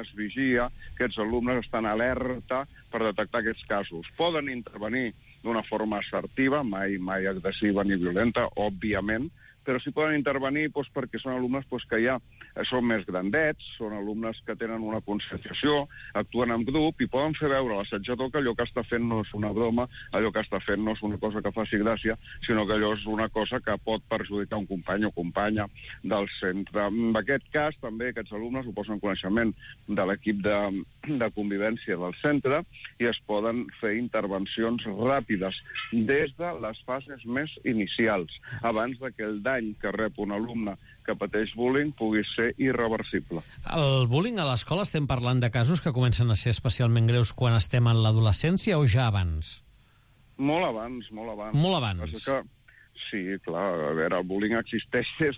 es vigia, aquests alumnes estan alerta per detectar aquests casos. Poden intervenir d'una forma assertiva, mai agressiva ni violenta, òbviament, però sí poden intervenir perquè són alumnes que ja són més grandets, són alumnes que tenen una conscienciació, actuen en grup i poden fer veure a l'assetjador que allò que està fent no és una broma, allò que està fent no és una cosa que faci gràcia, sinó que allò és una cosa que pot perjudicar un company o companya del centre. En aquest cas, també aquests alumnes ho posen en coneixement de l'equip de convivència del centre i es poden fer intervencions ràpides des de les fases més inicials, abans de que el dany que rep un alumne que pateix bullying pugui ser irreversible. El bullying a l'escola, estem parlant de casos que comencen a ser especialment greus quan estem en l'adolescència o ja abans? Molt abans. Molt abans? Sí, clar, a veure, el bullying existeix des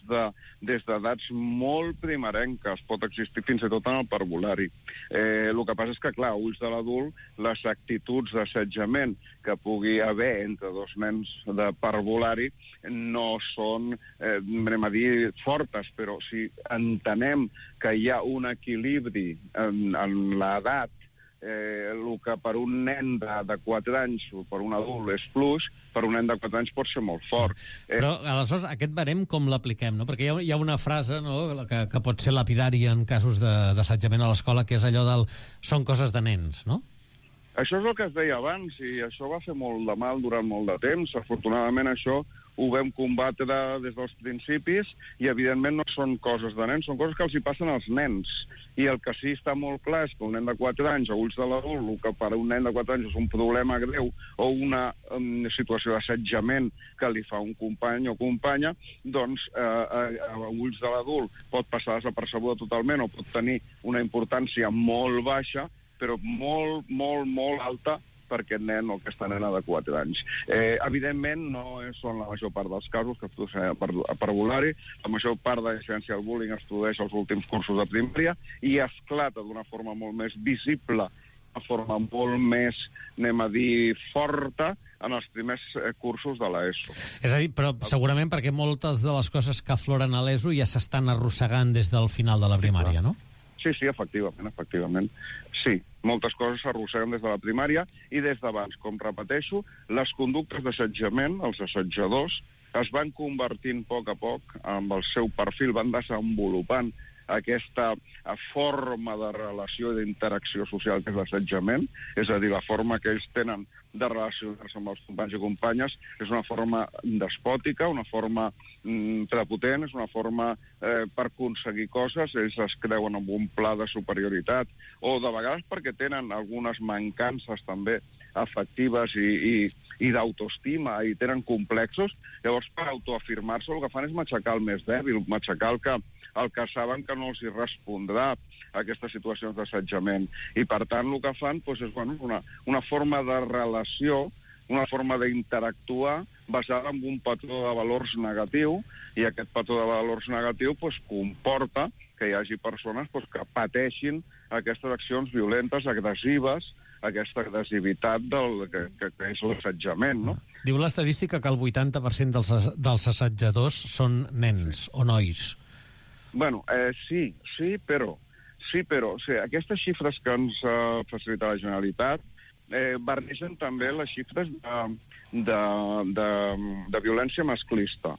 d'edats molt primerenques, pot existir fins i tot en el parvulari. El que passa és que, clar, a ulls de l'adult, les actituds d'assetjament que pugui haver entre dos nens de parvulari no són, anem a dir, fortes, però si entenem que hi ha un equilibri en l'edat, el que per un nen de 4 anys o per un adult és fluix, per un nen de 4 anys pot ser molt fort. Però, aleshores, aquest barem com l'apliquem, no? Perquè hi ha una frase, no?, que pot ser lapidària en casos d'assetjament a l'escola, que és allò del són coses de nens, no? Això és el que es deia abans, i això va fer molt de mal durant molt de temps. Afortunadament això ho vam combatre des dels principis i, evidentment, no són coses de nens, són coses que els hi passen als nens. I el que sí està molt clar és que un nen de 4 anys, a ulls de l'adult, el que per un nen de 4 anys és un problema greu o una situació d'assetjament que li fa un company o companya, doncs a ulls de l'adult pot passar desapercebuda totalment o pot tenir una importància molt baixa, però molt alta per aquest nen o aquesta nena de 4 anys. Evidentment, no són la major part dels casos que es produeixen a parvulari. La major part de l'incidència del bullying es produeix als últims cursos de primària i esclata d'una forma molt més visible, de forma molt més, anem a dir, forta, en els primers cursos de l'ESO. És a dir, però segurament perquè moltes de les coses que afloren a l'ESO ja s'estan arrossegant des del final de la primària, no? Sí, efectivament. Sí, moltes coses s'arrosseguen des de la primària i des d'abans. Com repeteixo, les conductes d'assetjament, els assetjadors, es van convertint a poc amb el seu perfil, van desenvolupant aquesta forma de relació i d'interacció social que és l'assetjament, és a dir, la forma que ells tenen de relacionar-se amb els companys i companyes és una forma despòtica, una forma prepotent, és una forma per aconseguir coses, ells es creuen en un pla de superioritat, o de vegades perquè tenen algunes mancances també afectives i d'autoestima i tenen complexos, llavors per autoafirmar-se el que fan és matxacar el més dèbil, matxacar el que saben que no els hi respondrà a aquestes situacions d'assetjament. I per tant el que fan és una forma de relació, una forma d'interactuar basada en un patró de valors negatiu, i aquest patró de valors negatiu comporta que hi hagi persones que pateixin aquestes accions violentes, agressives, aquesta agressivitat que és l'assetjament, no? Diu l'estadística que el 80% dels assetjadors són nens o nois. Bueno, sí, però aquestes xifres que ens facilita la Generalitat barregen també les xifres de violència masclista,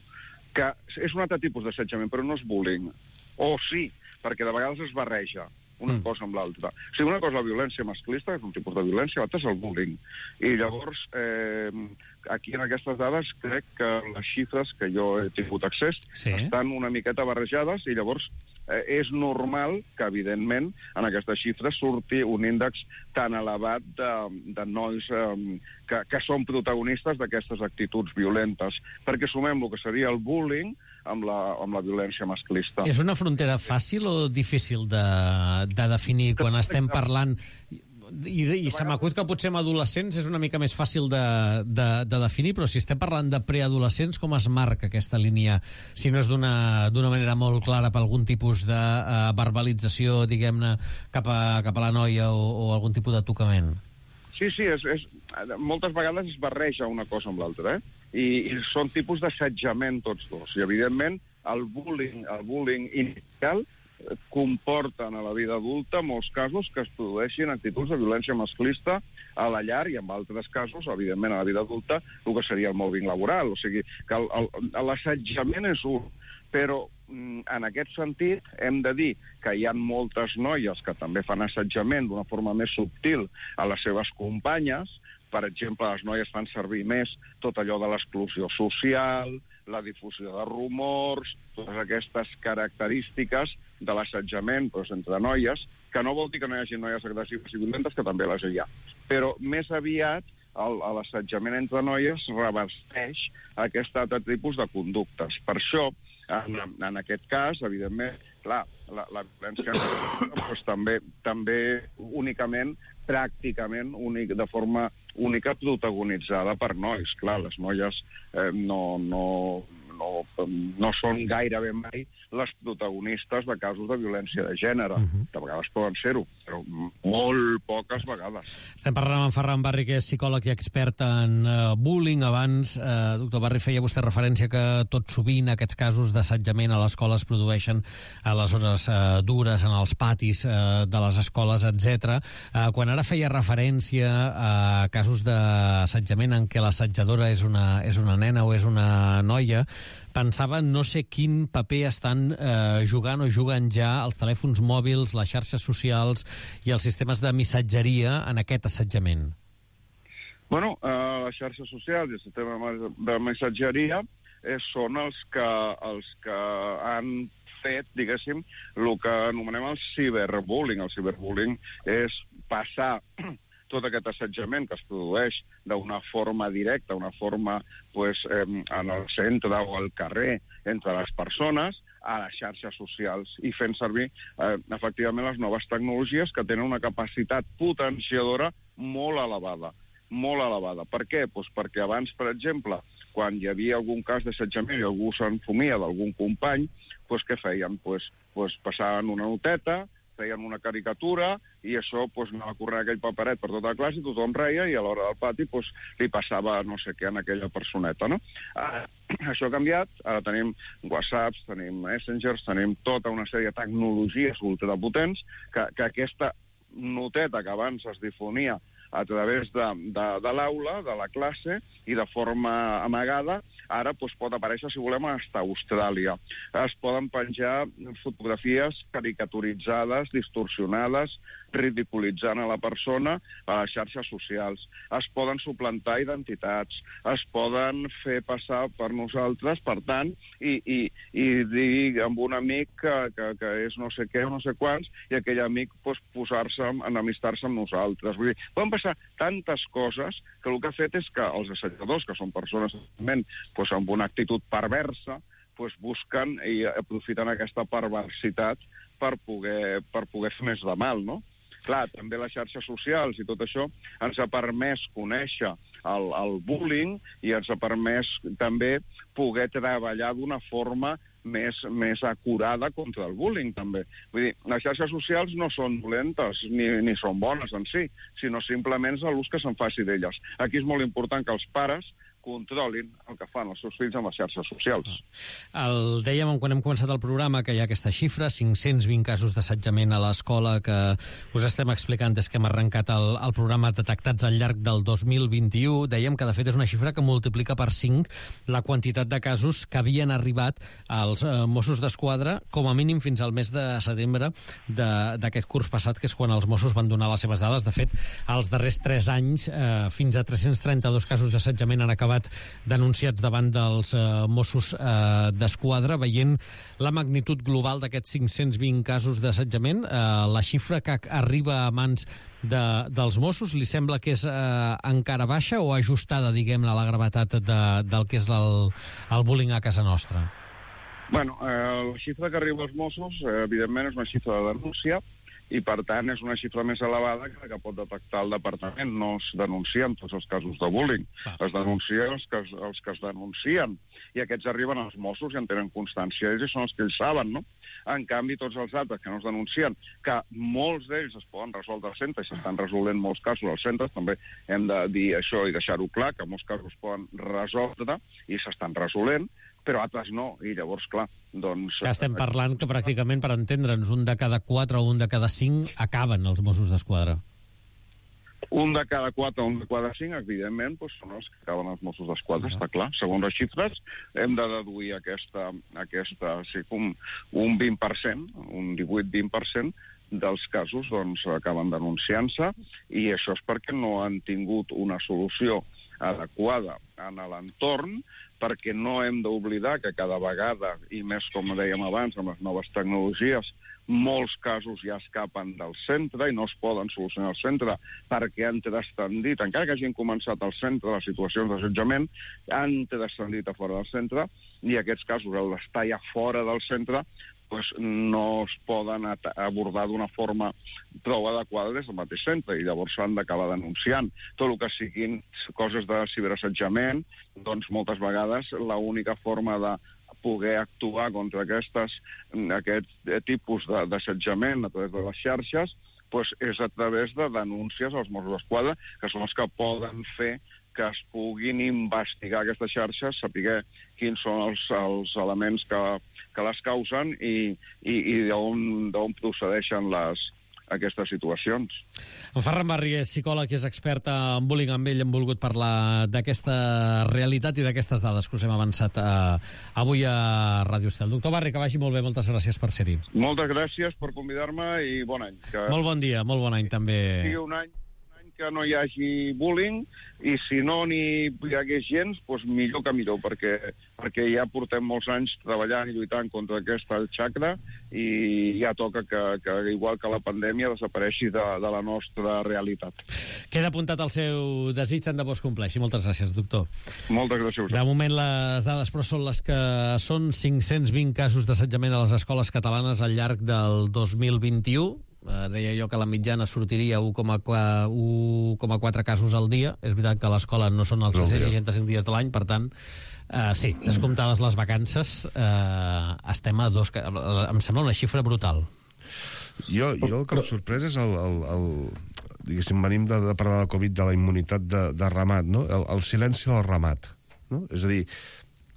que és un altre tipus d'assetjament, però no és bullying. O sí, perquè de vegades es barreja una cosa amb l'altra. O sigui, una cosa és la violència masclista, que és un tipus de violència, l'altra és el bullying. I llavors, aquí en aquestes dades crec que les xifres que jo he tingut accés estan una miqueta barrejades i llavors és normal que, evidentment, en aquestes xifres surti un índex tan elevat de nois que són protagonistes d'aquestes actituds violentes. Perquè sumem el que seria el bullying amb la violència masclista. És una frontera fàcil o difícil de definir quan estem parlant... I se m'acut que potser amb adolescents és una mica més fàcil de definir, però si estem parlant de preadolescents, com es marca aquesta línia? Si no és d'una manera molt clara per algun tipus de verbalització, diguem-ne, cap a la noia o algun tipus de tocament? Sí, moltes vegades es barreja una cosa amb l'altra, i són tipus d'assetjament tots dos. I, evidentment, el bullying inicial comporten a la vida adulta molts casos que es produeixin actituds de violència masclista a la llar i en altres casos, evidentment, a la vida adulta, el que seria el mobbing laboral. O sigui, que l'assetjament és un, però en aquest sentit hem de dir que hi ha moltes noies que també fan assetjament d'una forma més subtil a les seves companyes. Per exemple, les noies fan servir més tot allò de l'exclusió social, la difusió de rumors, totes aquestes característiques de l'assetjament entre noies, que no vol dir que no hi hagi noies agressives i violentes, que també les hi ha. Però més aviat l'assetjament entre noies revesteix aquest altre tipus de conductes. Per això, en aquest cas, evidentment, clar, la violència doncs, també únicament, pràcticament, de forma única protagonitzada per nois. Clar, les noies no són gairebé mai les protagonistes de casos de violència de gènere. De vegades poden ser-ho, però molt poques vegades. Estem parlant amb Ferran Barri, que és psicòleg i expert en bullying. Abans, doctor Barri, feia vostè referència que tot sovint aquests casos d'assetjament a l'escola es produeixen a les hores dures, en els patis de les escoles, etc. Quan ara feia referència a casos d'assetjament en què l'assetjadora és una nena o és una noia, pensava no sé quin paper estan jugant o juguen ja els telèfons mòbils, les xarxes socials i els sistemes de missatgeria en aquest assetjament. Bueno, les xarxes socials i el sistema de missatgeria són els que han fet, diguéssim, el que anomenem el ciberbullying. El ciberbullying és passar tot aquest assetjament que es produeix d'una forma directa, d'una forma en el centre o al carrer entre les persones, a les xarxes socials i fent servir efectivament les noves tecnologies que tenen una capacitat potenciadora molt elevada. Molt elevada. Per què? Perquè abans, per exemple, quan hi havia algun cas d'assetjament i algú s'enfumia d'algun company, què feien? Passaven una noteta, feien una caricatura i això anava a córrer aquell paperet per tota la classe i tothom reia i a l'hora del pati li passava no sé què en aquella personeta, no? Això ha canviat, ara tenim WhatsApps, tenim Messengers, tenim tota una sèrie de tecnologies ultrapotents que aquesta noteta que abans es difonia a través de l'aula, de la classe, i de forma amagada, ara pot aparèixer, si volem, fins a Austràlia. Es poden penjar fotografies caricaturitzades, distorsionades, ridiculitzant a la persona a les xarxes socials. Es poden suplantar identitats, es poden fer passar per nosaltres, per tant, i dir amb un amic que és no sé què o no sé quants, i aquell amic posar-se, enemistar-se amb nosaltres. Vull dir, poden passar tantes coses que el que ha fet és que els assetjadors, que són persones amb una actitud perversa, busquen i aprofiten aquesta perversitat per poder fer més de mal, no? Clar, també les xarxes socials i tot això ens ha permès conèixer el bullying i ens ha permès també poder treballar d'una forma més acurada contra el bullying, també. Vull dir, les xarxes socials no són dolentes ni són bones en si, sinó simplement l'ús que se'n faci d'elles. Aquí és molt important que els pares controlin el que fan els seus fills amb les xarxes socials. Dèiem quan hem començat el programa que hi ha aquesta xifra, 520 casos d'assetjament a l'escola que us estem explicant des que hem arrencat el programa detectats al llarg del 2021. Dèiem que de fet és una xifra que multiplica per 5 la quantitat de casos que havien arribat als Mossos d'Esquadra com a mínim fins al mes de setembre d'aquest curs passat, que és quan els Mossos van donar les seves dades. De fet, els darrers 3 anys fins a 332 casos d'assetjament han acabat denunciats davant dels Mossos d'Esquadra. Veient la magnitud global d'aquests 520 casos d'assetjament, la xifra que arriba a mans dels Mossos li sembla que és encara baixa o ajustada, diguem-ne, a la gravetat del que és el bullying a casa nostra? Bueno, la xifra que arriba als Mossos, evidentment, és una xifra de denúncia, i, per tant, és una xifra més elevada que pot detectar el departament. No es denuncien tots els casos de bullying. Es denuncien els que es denuncien. I aquests arriben als Mossos i en tenen constància. Ells són els que ells saben, no? En canvi, tots els altres que no es denuncien, que molts d'ells es poden resoldre als centres, i s'estan resolent molts casos als centres, també hem de dir això i deixar-ho clar, que molts casos es poden resoldre i s'estan resolent, però altres no, i llavors, clar, doncs... Estem parlant que pràcticament, per entendre'ns, un de cada 4 o un de cada 5 acaben els Mossos d'Esquadra. Un de cada 4 o un de cada 5, evidentment, doncs són els que acaben els Mossos d'Esquadra, està clar. Segons les xifres, hem de deduir sí, un 20%, un 18-20% dels casos doncs, acaben denunciant-se, i això és perquè no han tingut una solució adequada en l'entorn, perquè no hem d'oblidar que cada vegada, i més com dèiem abans, amb les noves tecnologies, molts casos ja escapen del centre i no es poden solucionar al centre perquè han transcendit, encara que hagin començat al centre les situacions d'assetjament, han transcendit a fora del centre, i aquests casos, al estar ja fora del centre, doncs no es poden abordar d'una forma prou adequada des del mateix centre, i llavors s'han d'acabar denunciant. Tot el que siguin coses de ciberassetjament, doncs moltes vegades l'única forma de poder actuar contra aquest tipus d'assetjament a través de les xarxes doncs és a través de denúncies als Mossos d'Esquadra, que són els que poden fer que es puguin investigar aquestes xarxes, saber quins són els elements que les causen i d'on procedeixen aquestes situacions. En Ferran Barri és psicòleg i és expert en bullying. Amb ell hem volgut parlar d'aquesta realitat i d'aquestes dades que us hem avançat avui a Ràdio Estel. Doctor Barri, que vagi molt bé, moltes gràcies per ser-hi. Moltes gràcies per convidar-me i bon any. Molt bon dia, molt bon any també. Sí, un any que no hi hagi bullying, i si no n'hi hagués gens, doncs millor que millor, perquè ja portem molts anys treballant i lluitant contra aquesta xacra, i ja toca que igual que la pandèmia, desapareixi de la nostra realitat. Queda apuntat el seu desig, tant de bo es compleixi. Moltes gràcies, doctor. Moltes gràcies. De moment les dades, però, són les que són: 520 casos d'assetjament a les escoles catalanes al llarg del 2021. Deia jo que la mitjana sortiria 1,4 casos al dia. És veritat que a l'escola no són els 365 dies de l'any, per tant, sí, descomptades les vacances, estem a 2... Em sembla una xifra brutal. Jo el que em sorprès és diguéssim, venim de parlar de Covid, de la immunitat de ramat, no? El silenci del ramat, no? És a dir,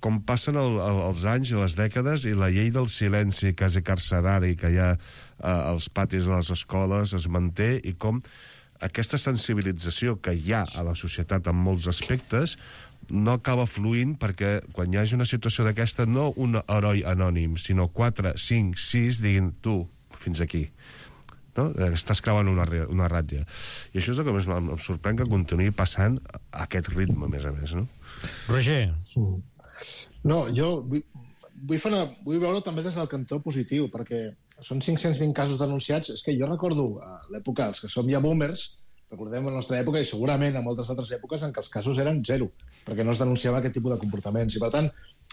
com passen els anys i les dècades, i la llei del silenci quasi carcerari que hi ha als patis de les escoles es manté, i com aquesta sensibilització que hi ha a la societat en molts aspectes no acaba fluint, perquè quan hi hagi una situació d'aquesta, no un heroi anònim, sinó 4, 5, 6 diguin, tu, fins aquí. No? Estàs creuant una ratlla. I això és el que més em sorprèn, que continuï passant a aquest ritme, a més, no? Roger. No, jo vull veure també des del cantó positiu, perquè són 520 casos denunciats. És que jo recordo l'època, els que som ja boomers, recordem la nostra època, i segurament en moltes altres èpoques, en què els casos eren 0, perquè no es denunciava aquest tipus de comportaments. I, per tant,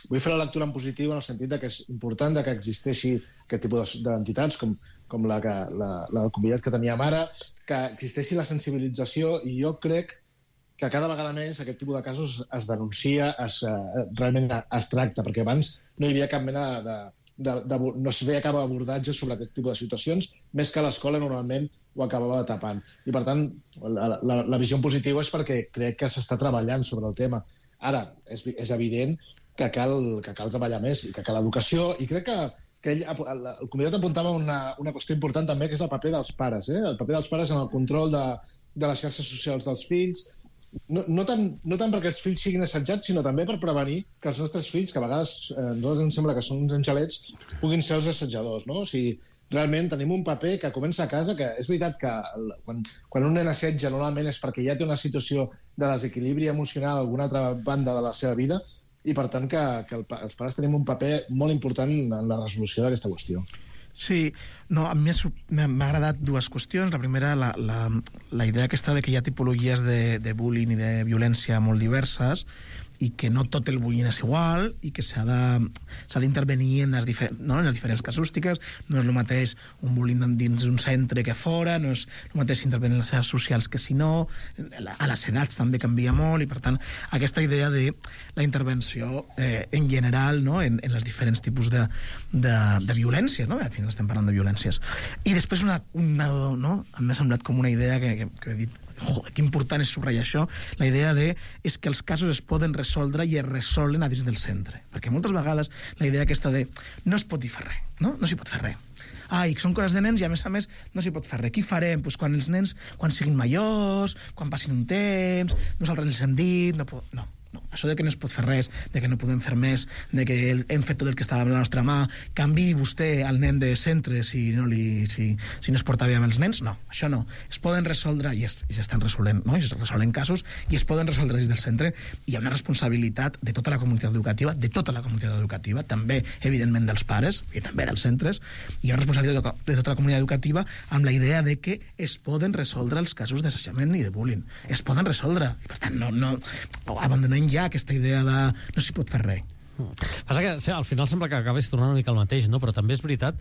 vull fer la lectura en positiu, en el sentit que és important que existeixi aquest tipus d'entitats, com la convidat que teníem ara, que existeixi la sensibilització, i jo crec que cada vegada més aquest tipus de casos es denuncia, realment es tracta, perquè abans no hi havia cap mena no es veia cap abordatge sobre aquest tipus de situacions, més que l'escola normalment ho acabava tapant. I, per tant, la visió positiva és perquè crec que s'està treballant sobre el tema. Ara, és evident que cal treballar més, i que cal educació, i crec que el convidat apuntava una qüestió important també, que és el paper dels pares, el paper dels pares en el control de les xarxes socials dels fills, no tant perquè els fills siguin assetjats, sinó també per prevenir que els nostres fills, que a vegades a nosaltres ens sembla que són uns angelets, puguin ser els assetjadors, no? O sigui, realment tenim un paper que comença a casa, que és veritat que quan un nen assetja normalment és perquè ja té una situació de desequilibri emocional a alguna altra banda de la seva vida, i per tant que els pares tenim un paper molt important en la resolució d'aquesta qüestió. Sí, no, a mi m'ha agradat dues qüestions. La primera, la idea aquesta de que hi ha tipologies de bullying i de violència molt diverses, i que no tot el bullying és igual, i que s'ha d'intervenir en les diferents casústiques. No és el mateix un bullying dins d'un centre que fora, no és el mateix intervenir en les xarxes socials que si no, a les edats també canvia molt, i per tant aquesta idea de la intervenció en general, no? en els diferents tipus de violències, no? Al final estem parlant de violències. I després no? m'ha semblat com una idea que he dit joder, que important és subratllar això, la idea és que els casos es poden resoldre i es resolen a dins del centre. Perquè moltes vegades la idea aquesta de no es pot dir fer res, no s'hi pot fer res. Ai, són coses de nens i a més no s'hi pot fer res. Què farem? Pues quan els nens, quan siguin majors, quan passin un temps, nosaltres els hem dit... No. Això de que no es pot fer res, de que no podem fer més, de que hem fet tot el que estava a la nostra mà, canviï vostè al nen de centre si no es porta bé amb els nens, no, això no. Es poden resoldre, i s'estan resolent, no? I es resolen casos, i es poden resoldre des del centre. Hi ha una responsabilitat de tota la comunitat educativa, també, evidentment, dels pares, i també dels centres, hi ha una responsabilitat de tota la comunitat educativa amb la idea de que es poden resoldre els casos d'assetjament i de bullying. Es poden resoldre. I, per tant, no abandonem ja aquesta idea de no s'hi pot fer res. Passa que al final sembla que acabés tornant una mica al mateix, no? Però també és veritat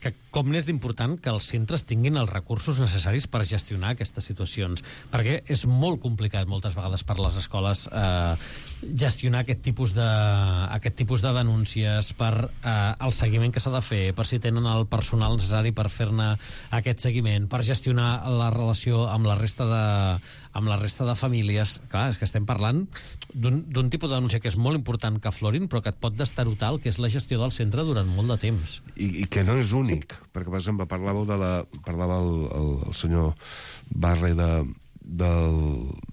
que com n'és d'important que els centres tinguin els recursos necessaris per gestionar aquestes situacions, perquè és molt complicat moltes vegades per les escoles gestionar aquest tipus de denúncies, per el seguiment que s'ha de fer, per si tenen el personal necessari per fer-ne aquest seguiment, per gestionar la relació amb la resta de famílies. Clar, és que estem parlant d'un tipus de denúncia que és molt important que aflorin, però que et pot destarotar el que és la gestió del centre durant molt de temps. I que no és únic, perquè, per exemple, parlava el senyor Barre de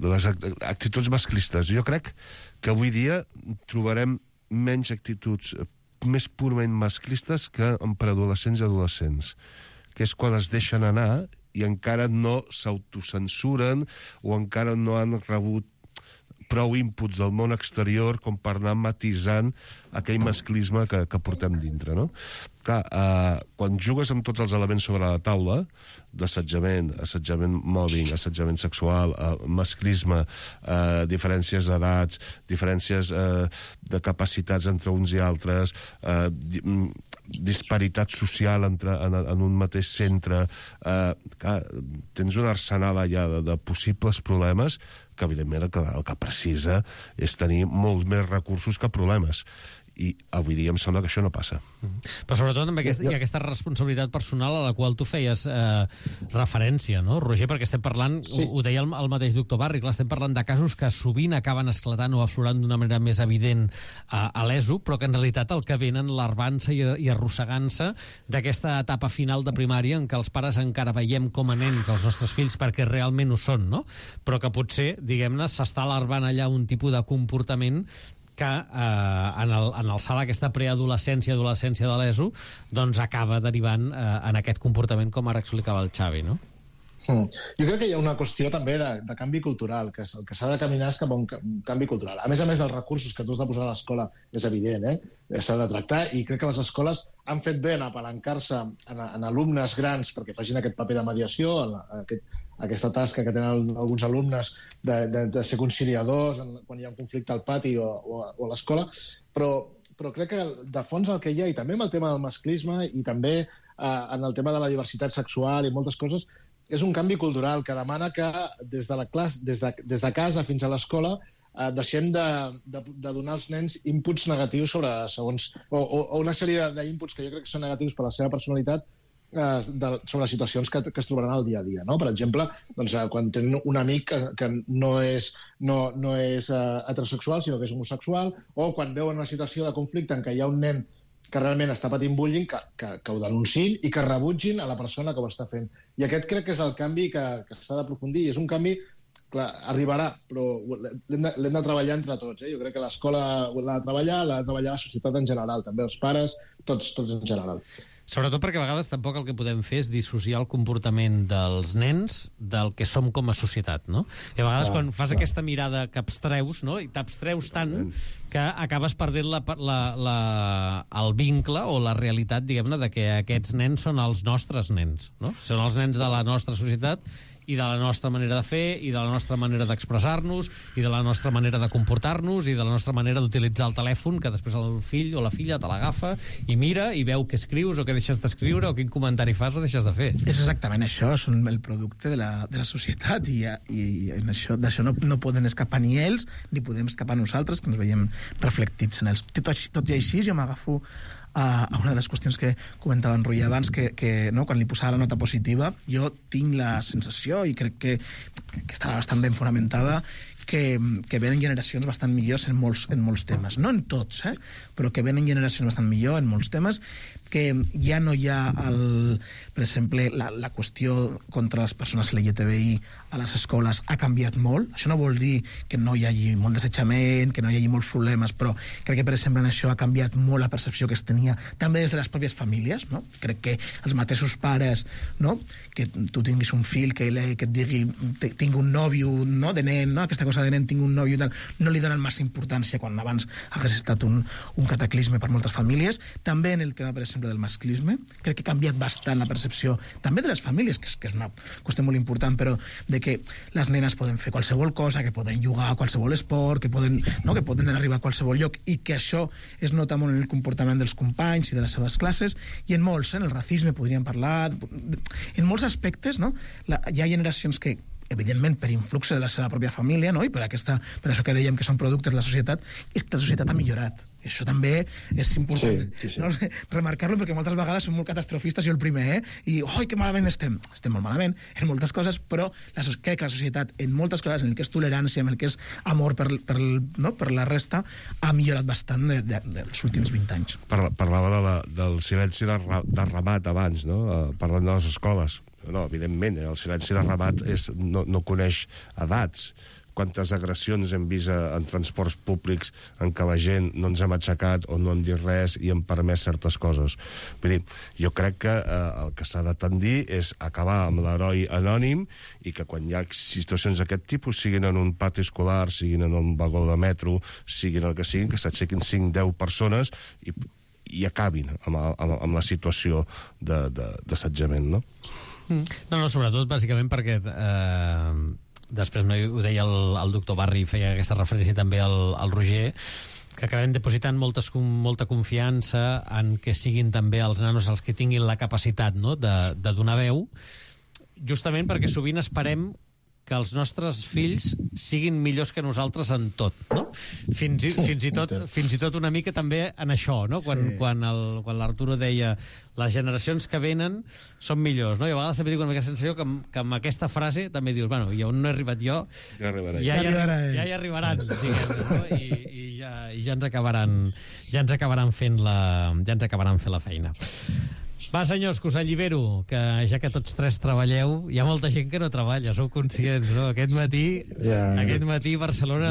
les actituds masclistes. Jo crec que avui dia trobarem menys actituds més purament masclistes que en preadolescents i adolescents, que és quan es deixen anar i encara no s'autocensuren o encara no han rebut prou inputs del món exterior com per anar matisant aquell masclisme que portem dintre, no? Clar, quan jugues amb tots els elements sobre la taula, d'assetjament, mòbbing, assetjament sexual, masclisme, diferències d'edats, diferències de capacitats entre uns i altres, disparitat social en un mateix centre, tens un arsenal allà de possibles problemes que, evidentment, el que precisa és tenir molts més recursos que problemes. I avui dia em sembla que això no passa. Però sobretot també hi ha aquesta responsabilitat personal a la qual tu feies referència, no, Roger? Perquè estem parlant, ho deia el mateix doctor Barri, estem parlant de casos que sovint acaben esclatant o aflorant d'una manera més evident a l'ESO, però que en realitat el que venen larvant-se i arrossegant-se d'aquesta etapa final de primària en què els pares encara veiem com a nens els nostres fills perquè realment ho són, no? Però que potser, diguem-ne, s'està larvant allà un tipus de comportament que en alçar aquesta preadolescència, adolescència de l'ESO, doncs acaba derivant en aquest comportament, com ara explicava el Xavi, no? Jo crec que hi ha una qüestió també de canvi cultural, que el que s'ha de caminar és cap a un canvi cultural. A més dels recursos que tu has de posar a l'escola, és evident, s'ha de tractar, i crec que les escoles han fet bé en apalancar-se en alumnes grans perquè facin aquest paper de mediació, aquesta tasca que tenen alguns alumnes de ser conciliadors quan hi ha un conflicte al pati o a l'escola, però crec que de fons el que hi ha, i també amb el tema del masclisme i també en el tema de la diversitat sexual i moltes coses, és un canvi cultural que demana que des de casa fins a l'escola deixem de donar als nens inputs negatius o una sèrie d'inputs que jo crec que són negatius per la seva personalitat sobre situacions que es trobaran al dia a dia, no? Per exemple, quan tenen un amic que no és heterosexual, sinó que és homosexual, o quan veuen una situació de conflicte en què hi ha un nen que realment està patint bullying, que ho denunciïn i que rebutgin a la persona que ho està fent. I aquest crec que és el canvi que s'ha d'aprofundir, i és un canvi, clar, arribarà, però l'hem de treballar entre tots. Jo crec que l'escola l'ha de treballar la societat en general, també els pares, tots en general. Sobretot perquè a vegades tampoc el que podem fer és dissociar el comportament dels nens del que som com a societat, no? I a vegades quan fas aquesta mirada que abstreus, no? I t'abstreus tant que acabes perdent el vincle o la realitat, diguem-ne, de que aquests nens són els nostres nens, no? Són els nens de la nostra societat i de la nostra manera de fer, i de la nostra manera d'expressar-nos, i de la nostra manera de comportar-nos, i de la nostra manera d'utilitzar el telèfon, que després el fill o la filla te l'agafa i mira i veu què escrius o què deixes d'escriure o quin comentari fas o deixes de fer. És exactament això, són el producte de la societat, i d'això no poden escapar ni ells, ni podem escapar nosaltres, que ens veiem reflectits en ells. Tot i així, jo m'agafo a una de les qüestions que comentava en Rui abans, que no, quan li posava la nota positiva, jo tinc la sensació, i crec que està bastant ben fonamentada, que venen generacions bastant millors en molts temes. No en tots, però que venen generacions bastant millor en molts temes, que ja no hi ha, per exemple, la qüestió contra les persones LGTBI a les escoles ha canviat molt. Això no vol dir que no hi hagi molt desitjament, que no hi hagi molts problemes, però crec que, per exemple, en això ha canviat molt la percepció que es tenia també des de les pròpies famílies, no? Crec que els mateixos pares, no? Que tu tinguis un fill que et digui tinc un nòvio, no? De nen, no? Aquesta cosa de nen, tinc un nòvio, no li donen massa importància quan abans hagués estat un cataclisme per moltes famílies. També en el tema, per exemple, del masclisme, crec que ha canviat bastant la percepció, també de les famílies, que és una qüestió molt important, però de que les nenes poden fer qualsevol cosa, que poden jugar a qualsevol esport, que poden arribar a qualsevol lloc, i que això es nota molt en el comportament dels companys i de les seves classes, i en molts, en el racisme podríem parlar, en molts aspectes, no? Hi ha generacions que evidentment per influx de la seva pròpia família, no? I per això que dèiem que són productes de la societat, és que la societat ha millorat. Això també és important, sí. No? Remarcar-lo, perquè moltes vegades som molt catastrofistes, jo el primer, i oi, que malament estem molt malament en moltes coses, però crec que la societat en moltes coses, en el que és tolerància, en el que és amor per la resta, ha millorat bastant dels últims 20 anys. Parlava del silenci de Ramat abans, no? Parlant de les escoles. No, evidentment, el silenci de Ramat no coneix edats. Quantes agressions hem vist en transports públics en què la gent no ens hem aixecat o no hem dit res i hem permès certes coses. Vull dir, jo crec que el que s'ha de tendir és acabar amb l'heroi anònim i que quan hi ha situacions d'aquest tipus, siguin en un pati escolar, siguin en un vagó de metro, siguin el que siguin, que s'aixequin 5-10 persones i acabin amb la situació d'assetjament, no? No, sobretot, bàsicament, perquè després ho deia el doctor Barri, feia aquesta referència també al Roger, que acabem depositant molta confiança en que siguin també els nanos els que tinguin la capacitat, no?, de donar veu, justament perquè sovint esperem que els nostres fills siguin millors que nosaltres en tot, no? Fins i tot una mica també en això, no? Quan l'Arturo deia les generacions que venen són millors, no? I a vegades també dic una mica sensació que amb aquesta frase també dius, bueno, i on no he arribat jo, ja hi arribaran, diguem, no? I ja ens acabaran fent la feina. Va, senyors, que us allibero, que ja que tots tres treballeu, hi ha molta gent que no treballa, sou conscients, no? Aquest matí Barcelona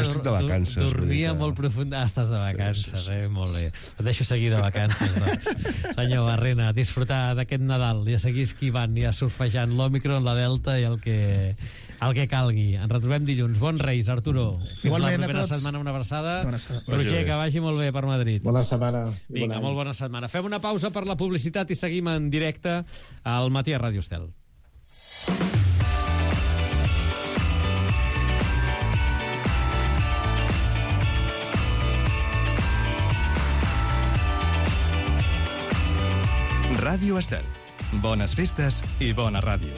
dormia molt profund. Estàs de vacances, molt bé. Et deixo seguir de vacances, doncs. Senyor Barrena, disfrutar d'aquest Nadal i a seguir esquivant i a surfejant l'Òmicron, la Delta i el que calgui. Ens retrobem dilluns. Bons Reis, Arturo. Fins la propera setmana, una abraçada. Roger, que vagi molt bé per Madrid. Bona setmana. Vinga, molt bona setmana. Fem una pausa per la publicitat i seguim en directe al Matí a Ràdio Estel. Ràdio Estel. Bones festes i bona ràdio.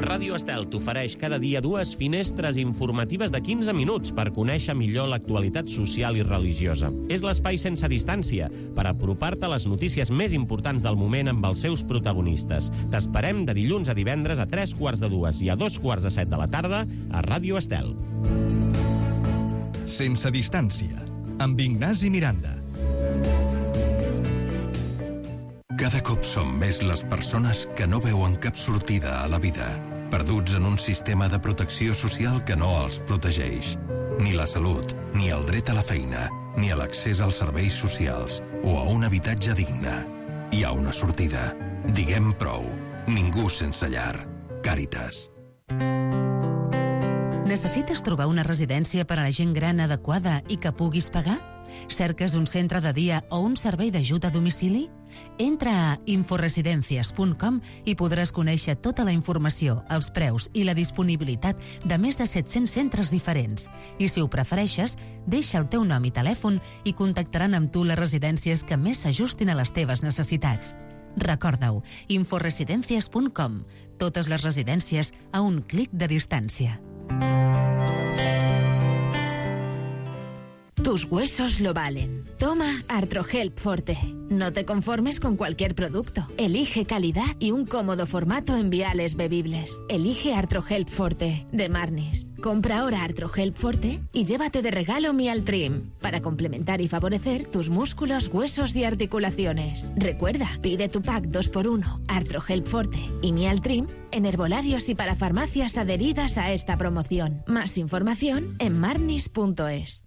Ràdio Estel t'ofereix cada dia 2 finestres informatives de 15 minuts per conèixer millor l'actualitat social i religiosa. És l'espai sense distància per apropar-te a les notícies més importants del moment amb els seus protagonistes. T'esperem de dilluns a divendres a 3:45 i a 2:45 de la tarda a Ràdio Estel. Sense distància, amb Ignasi Miranda. Cada cop som més les persones que no veuen cap sortida a la vida, perduts en un sistema de protecció social que no els protegeix. Ni la salut, ni el dret a la feina, ni a l'accés als serveis socials o a un habitatge digne. Hi ha una sortida. Diguem prou. Ningú sense llar. Càritas. Necessites trobar una residència per a la gent gran adequada i que puguis pagar? Cerques un centre de dia o un servei d'ajut a domicili? Entra a inforesidencias.com i podràs conèixer tota la informació, els preus i la disponibilitat de més de 700 centres diferents. I si ho prefereixes, deixa el teu nom i telèfon i contactaran amb tu les residències que més s'ajustin a les teves necessitats. Recorda-ho, inforesidencias.com. Totes les residències a un clic de distància. Tus huesos lo valen. Toma Artrohelp Forte. No te conformes con cualquier producto. Elige calidad y un cómodo formato en viales bebibles. Elige Artrohelp Forte, de Marnis. Compra ahora Artrohelp Forte y llévate de regalo Mialtrim, para complementar y favorecer tus músculos, huesos y articulaciones. Recuerda, pide tu pack 2x1, Artrohelp Forte y Mialtrim en herbolarios y para farmacias adheridas a esta promoción. Más información en marnis.es.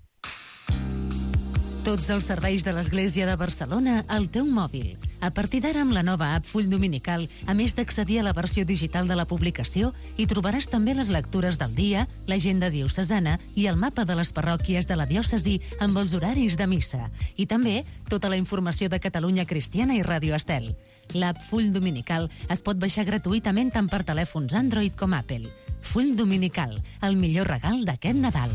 Tots els serveis de l'Església de Barcelona al teu mòbil. A partir d'ara, amb la nova app Full Dominical, a més d'accedir a la versió digital de la publicació, hi trobaràs també les lectures del dia, l'agenda diocesana i el mapa de les parròquies de la diòcesi amb els horaris de missa. I també tota la informació de Catalunya Cristiana i Ràdio Estel. L'app Full Dominical es pot baixar gratuïtament tant per telèfons Android com Apple. Full Dominical, el millor regal d'aquest Nadal.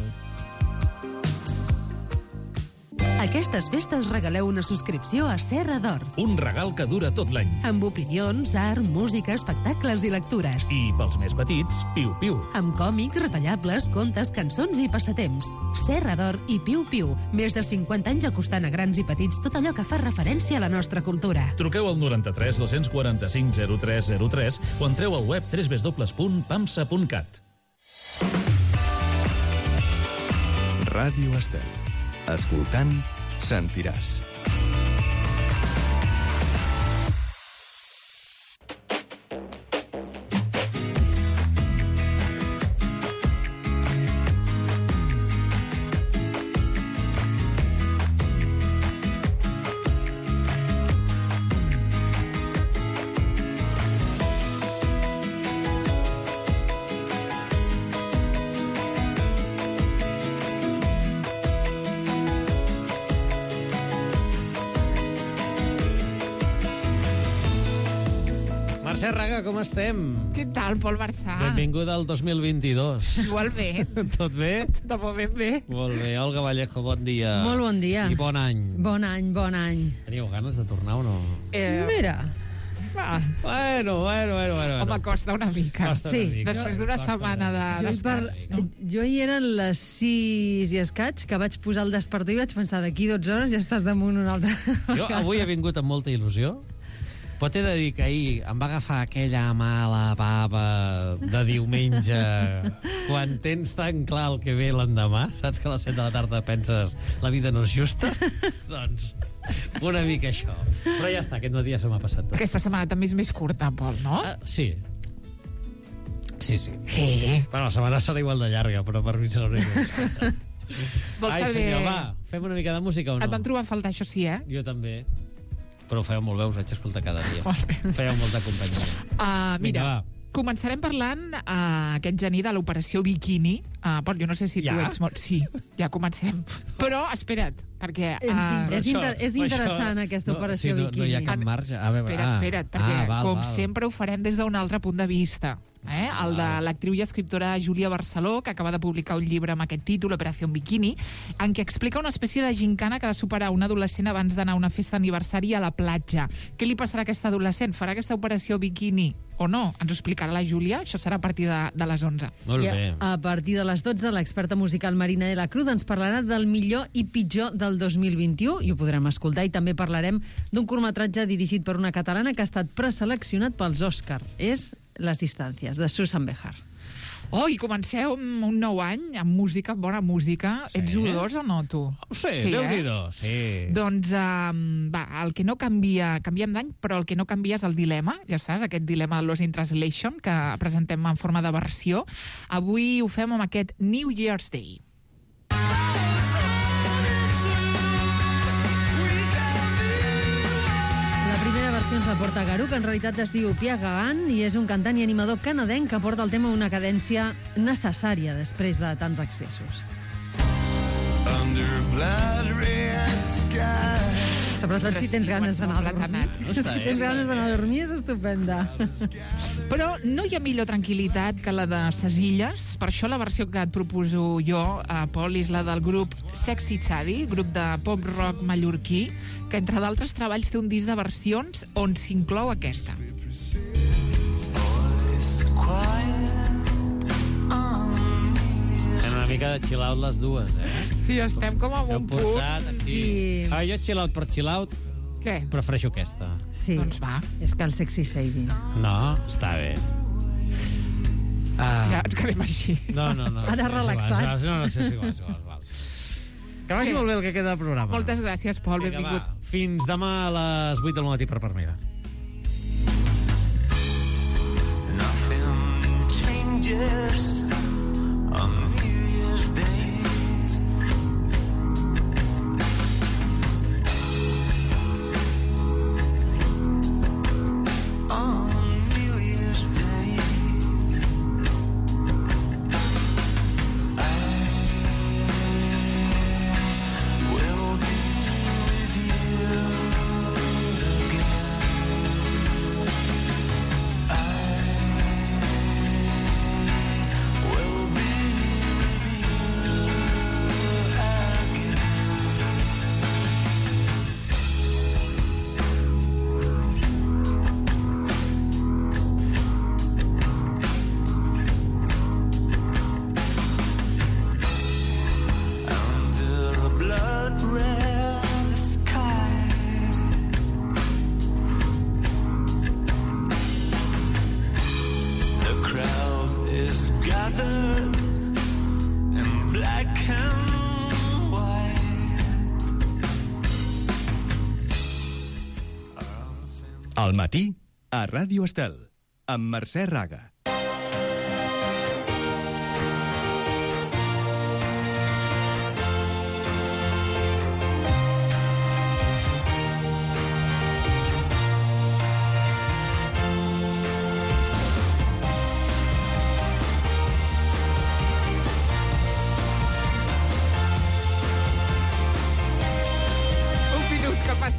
Aquestes festes regaleu una subscripció a Serra d'Or. Un regal que dura tot l'any. Amb opinions, art, música, espectacles i lectures. I pels més petits, piu-piu. Amb còmics, retallables, contes, cançons i passatemps. Serra d'Or i piu-piu. Més de 50 anys acostant a grans i petits tot allò que fa referència a la nostra cultura. Truqueu al 93 245 0303 o entreu al web www.pamsa.cat. Ràdio Estel. Escoltant, sentiràs. Mercè Raga, com estem? Què tal, Pol Marçà? Benvinguda al 2022. Igualment. Tot bé? De moment bé. Molt bé. Olga Vallejo, bon dia. Molt bon dia. I bon any. Bon any, bon any. Teníeu ganes de tornar o no? Mira. Va. Bueno. Home, costa una mica. Sí. Després d'una setmana de descans. Jo hi eren les 6 i escaig, que vaig posar el despertador i vaig pensar, d'aquí 12 hores ja estàs damunt una altra. Jo avui he vingut amb molta il·lusió, però t'he de dir que ahir em va agafar aquella mala bava de diumenge quan tens tan clar el que ve l'endemà, saps que a les 7 de la tarda penses la vida no és justa? Doncs una mica això. Però ja està, aquest matí ja se m'ha passat tot. Aquesta setmana també és més curta, Pol, no? Sí. Sí. Bueno, la setmana serà igual de llarga, però per mi serà una mica. Vols Ai, saber... senyor, va, fem una mica de música o no? Et van trobar a faltar, això sí, Jo també. Però ho fèieu molt bé, us vaig escoltar cada dia. Fèieu molta companyia. Mira, començarem parlant aquest gener de l'operació Bikini. Pol, jo no sé si tu ets molt... Sí, ja comencem. Però, espera't, perquè... És interessant aquesta operació Bikini. No hi ha cap marge. Espera't, perquè sempre ho farem des d'un altre punt de vista. El de l'actriu i escriptora Júlia Barceló, que acaba de publicar un llibre amb aquest títol, Operació Bikini, en què explica una espècie de gincana que ha de superar un adolescent abans d'anar a una festa d'aniversari a la platja. Què li passarà a aquest adolescent? Farà aquesta operació Bikini o no? Ens ho explicarà la Júlia. Això serà a partir de les 11. Molt bé. A partir de les 12, l'experta musical Marina de la Cruz ens parlarà del millor i pitjor del 2021, i ho podrem escoltar, i també parlarem d'un curtmetratge dirigit per una catalana que ha estat preseleccionat pels Òscar. És Les distàncies, de Susan Behar. I comenceu un nou any amb música, bona música. Sí. Ets U2 o no, tu? Sí, Déu-n'hi-do, sí. Doncs, el que no canvia, canviem d'any, però el que no canvia és el dilema, ja saps, aquest dilema de Lost in Translation, que presentem en forma de versió. Avui ho fem amb aquest New Year's Day. Ens la porta Garú, que en realitat es diu Pia Gagan i és un cantant i animador canadenc que porta el tema a una cadència necessària després de tants accessos. Sobretot si tens ganes d'anar a dormir. Si tens ganes d'anar a dormir és estupenda. Però no hi ha millor tranquil·litat que la de ses illes. Per això la versió que et proposo jo, Pol, és la del grup Sexy Sadie, grup de pop-rock mallorquí, que entre d'altres treballs té un disc de versions on s'inclou aquesta. Sembla una mica de chill out les dues, Sí, estem com amb un punt. Sí. Jo chill out per chill out, què? Prefereixo aquesta. Sí. Doncs va. És que el Sexy Sadie. No, està bé. Ja ens quedem així. No. Ara relaxats. No, sí, és igual. Que vagi molt bé el que queda del programa. Moltes gràcies, Pol, benvingut. Va. Fins demà a les 8 del matí per Parmida. Nothing changes on New Year's Day. On New Year's Day, I will be with you again. Will be with you again. Under the blood red sky, the crowd is gathered in black and white. Al matí, a Ràdio Estel, amb Mercè Raga.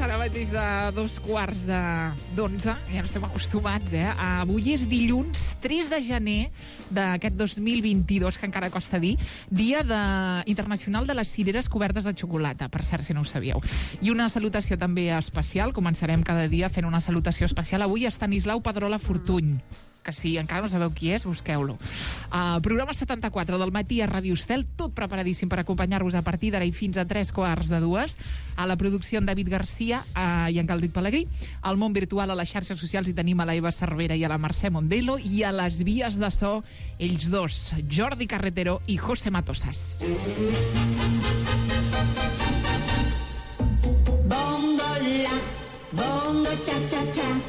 Ara mateix de 2:15, ja no estem acostumats, Avui és dilluns 3 de gener d'aquest 2022, que encara costa dir, dia internacional de les cireres cobertes de xocolata, per cert, si no ho sabíeu. I una salutació també especial, començarem cada dia fent una salutació especial avui a Estanislau Pedrola Fortuny, que si encara no sabeu qui és, busqueu-lo. Programa 74 del matí a Ràdio Estel, tot preparadíssim per acompanyar-vos a partir d'ara i fins a 3:15. A la producció en David Garcia i en Caldit Pelegrí. Al món virtual, a les xarxes socials, hi tenim a la Eva Cervera i a la Mercè Mondelo, i a les vies de so, ells dos, Jordi Carretero i José Matosas. Bongo la, bongo cha cha cha.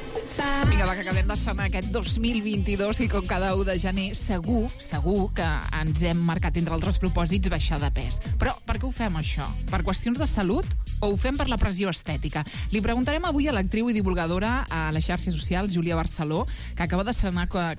Vinga, va, que acabem d'estrenar aquest 2022 i com cada 1 de gener segur que ens hem marcat entre altres propòsits baixar de pes. Però per què ho fem, això? Per qüestions de salut o ho fem per la pressió estètica? Li preguntarem avui a l'actriu i divulgadora a les xarxes socials, Júlia Barceló, que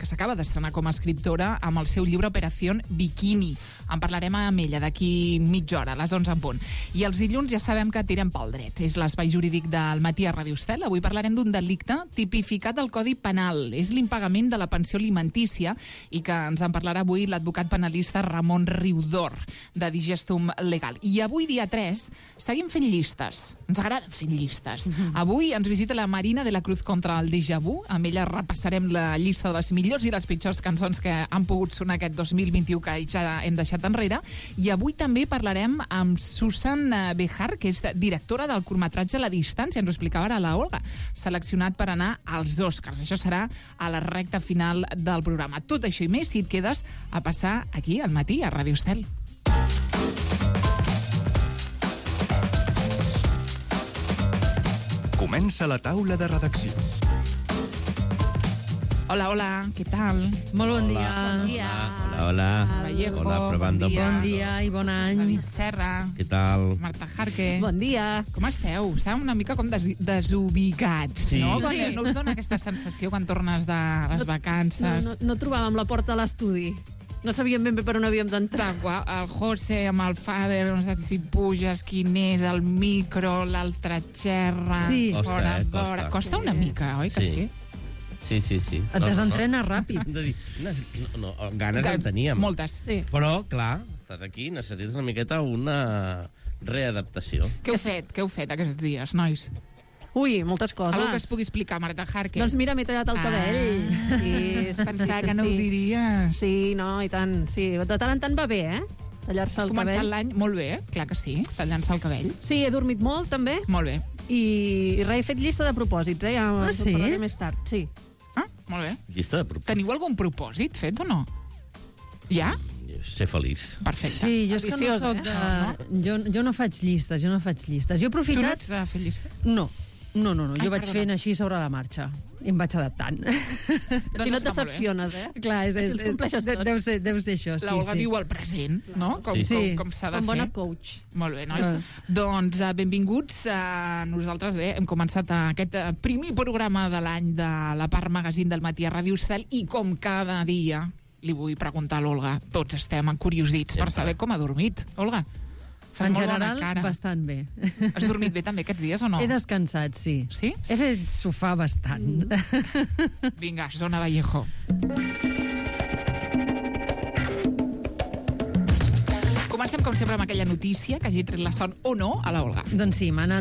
s'acaba d'estrenar com a escriptora amb el seu llibre Operación Bikini. En parlarem amb ella d'aquí mitja hora, a les 11 en punt. I els dilluns ja sabem que tirem pel dret. És l'espai jurídic del matí a Ràdio Estel. Avui parlarem d'un delicte tipificat al Codi Penal. És l'impagament de la pensió alimentícia i que ens en parlarà avui l'advocat penalista Ramon Riudor, de Digestum Legal. I avui, dia 3, seguim fent llistes. Ens agrada fer llistes. Avui ens visita la Marina de la Cruz contra el déjà vu. Amb ella repassarem la llista de les millors i les pitjors cançons que han pogut sonar aquest 2021 que ja hem deixat enrere. I avui també parlarem amb Susan Bejar, que és directora del curtmetratge La Distància. Ens ho explicava ara la Olga, seleccionat per anar als Oscars. Això serà a la recta final del programa. Tot això i més si et quedes a passar aquí al matí a Ràdio Estel. Comença la taula de redacció. Hola, què tal? Molt bon dia. Bon dia. Hola. Vallejo, Hola, provando. Bon dia i bon any. David Serra. Què tal? Marta Jarque. Bon dia. Com esteu? Estàvem una mica com desubicats, Sí. no? Sí. No us dona aquesta sensació quan tornes de les vacances? No trobàvem la porta a l'estudi. No sabíem ben bé per on havíem d'entrar. El José amb el Fader, no saps si puges, quin és, el micro, l'altra xerra... Sí. Fora. Costa una mica, oi que sí? Sí. Et desentrenes ràpid. Ganes en teníem. Moltes. Sí. Però, clar, estàs aquí, necessites una miqueta una readaptació. Què heu fet aquests dies, nois? Ui, moltes coses. Algo que es pugui explicar, Marta Jarque. Doncs mira, m'he tallat el cabell. Pensava que no ho diries. Sí, no, i tant. Sí, de tant en tant va bé, eh? tallar-se el cabell. Has començat l'any molt bé, clar que sí, tallant-se el cabell. Sí, he dormit molt, també. Molt bé. I res, he fet llista de propòsits, ja sí? parlaré més tard. Sí. Molt bé. Llista de propòsits. Teniu algun propòsit fet o no? Ja? Ser feliç. Perfecte. Sí, jo és que no soc de... Jo no faig llistes, Jo he aprofitat... Tu no ets de fer llistes? No. Jo vaig fent així sobre la marxa. I em vaig adaptant. Així no et decepciones, Clar, els compleixes tots. Deu ser això, sí. La Olga viu al present, no? Com s'ha de fer. Com bona coach. Molt bé, nois. Doncs benvinguts. Nosaltres hem començat aquest primer programa de l'any de la part magazín del Matí a Ràdio Estel i com cada dia li vull preguntar a l'Olga, tots estem encuriosits per saber com ha dormit. Olga, fas molt bona cara. Bastant bé. Has dormit bé també aquests dies o no? He descansat, sí. Sí? He fet sofà bastant. Vinga, Zona Vallejo. Comencem, com sempre, amb aquella notícia que hagi tret la son o no a la Olga. Doncs sí, m'ha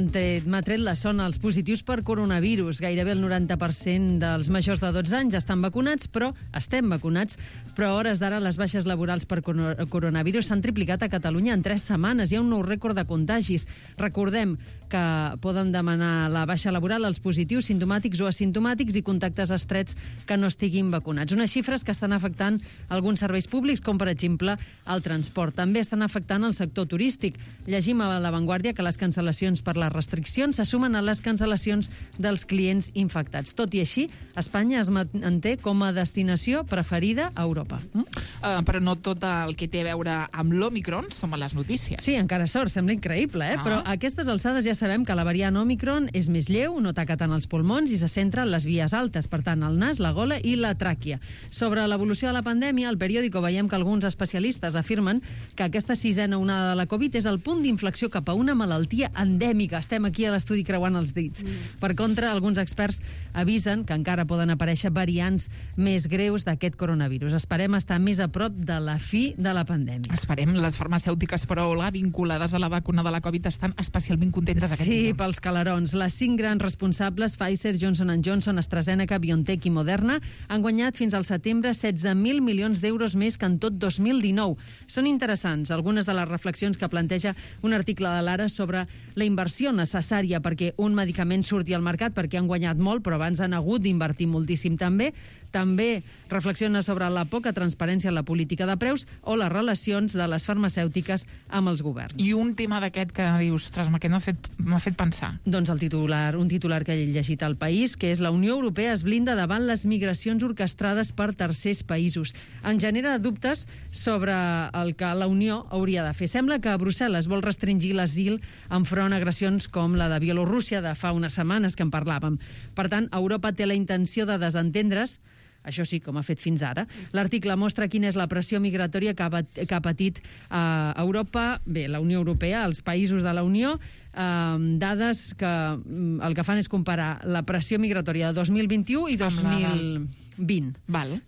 tret la son els positius per coronavirus. Gairebé el 90% dels majors de 12 anys estan vacunats, però a hores d'ara les baixes laborals per coronavirus s'han triplicat a Catalunya en 3 setmanes. Hi ha un nou rècord de contagis. Recordem que poden demanar la baixa laboral als positius simptomàtics o asimptomàtics i contactes estrets que no estiguin vacunats. Unes xifres que estan afectant alguns serveis públics, com per exemple el transport. També estan afectant el sector turístic. Llegim a La Vanguardia que les cancel·lacions per les restriccions se sumen a les cancel·lacions dels clients infectats. Tot i així, Espanya es manté com a destinació preferida a Europa. Però no tot el que té a veure amb l'Omicron som a les notícies. Sí, encara sort, sembla increïble, però a aquestes alçades ja sabem que la variant Omicron és més lleu, no ataca tant els pulmons i se centra en les vies altes, per tant, el nas, la gola i la tràquea. Sobre l'evolució de la pandèmia, al periòdico veiem que alguns especialistes afirmen que aquesta 6a onada de la Covid és el punt d'inflexió cap a una malaltia endèmica. Estem aquí a l'estudi creuant els dits. Per contra, alguns experts avisen que encara poden aparèixer variants més greus d'aquest coronavirus. Esperem estar més a prop de la fi de la pandèmia. Esperem. Les farmacèutiques, però, vinculades a la vacuna de la Covid estan especialment contentes d'aquest Sí, temps. pels calarons. Les 5 grans responsables, Pfizer, Johnson & Johnson, AstraZeneca, BioNTech i Moderna, han guanyat fins al setembre 16.000 milions d'euros més que en tot 2019. Són interessants algunes de les reflexions que planteja un article de l'Ara sobre la inversió necessària perquè un medicament surti al mercat, perquè han guanyat molt, però abans han hagut d'invertir moltíssim també. També reflexiona sobre la poca transparència en la política de preus o les relacions de les farmacèutiques amb els governs. I un tema d'aquest que dius, ostres, m'ha fet pensar. Doncs un titular que he llegit al País, que és la Unió Europea es blinda davant les migracions orquestrades per tercers països. En genera dubtes sobre el que la Unió hauria de fer. Sembla que Brussel·les vol restringir l'asil enfront a agressions com la de Bielorússia de fa unes setmanes que en parlàvem. Per tant, Europa té la intenció de desentendre's, això sí, com ha fet fins ara. L'article mostra quina és la pressió migratòria que ha patit Europa, la Unió Europea, els països de la Unió, dades que el que fan és comparar la pressió migratòria de 2021 i 2020,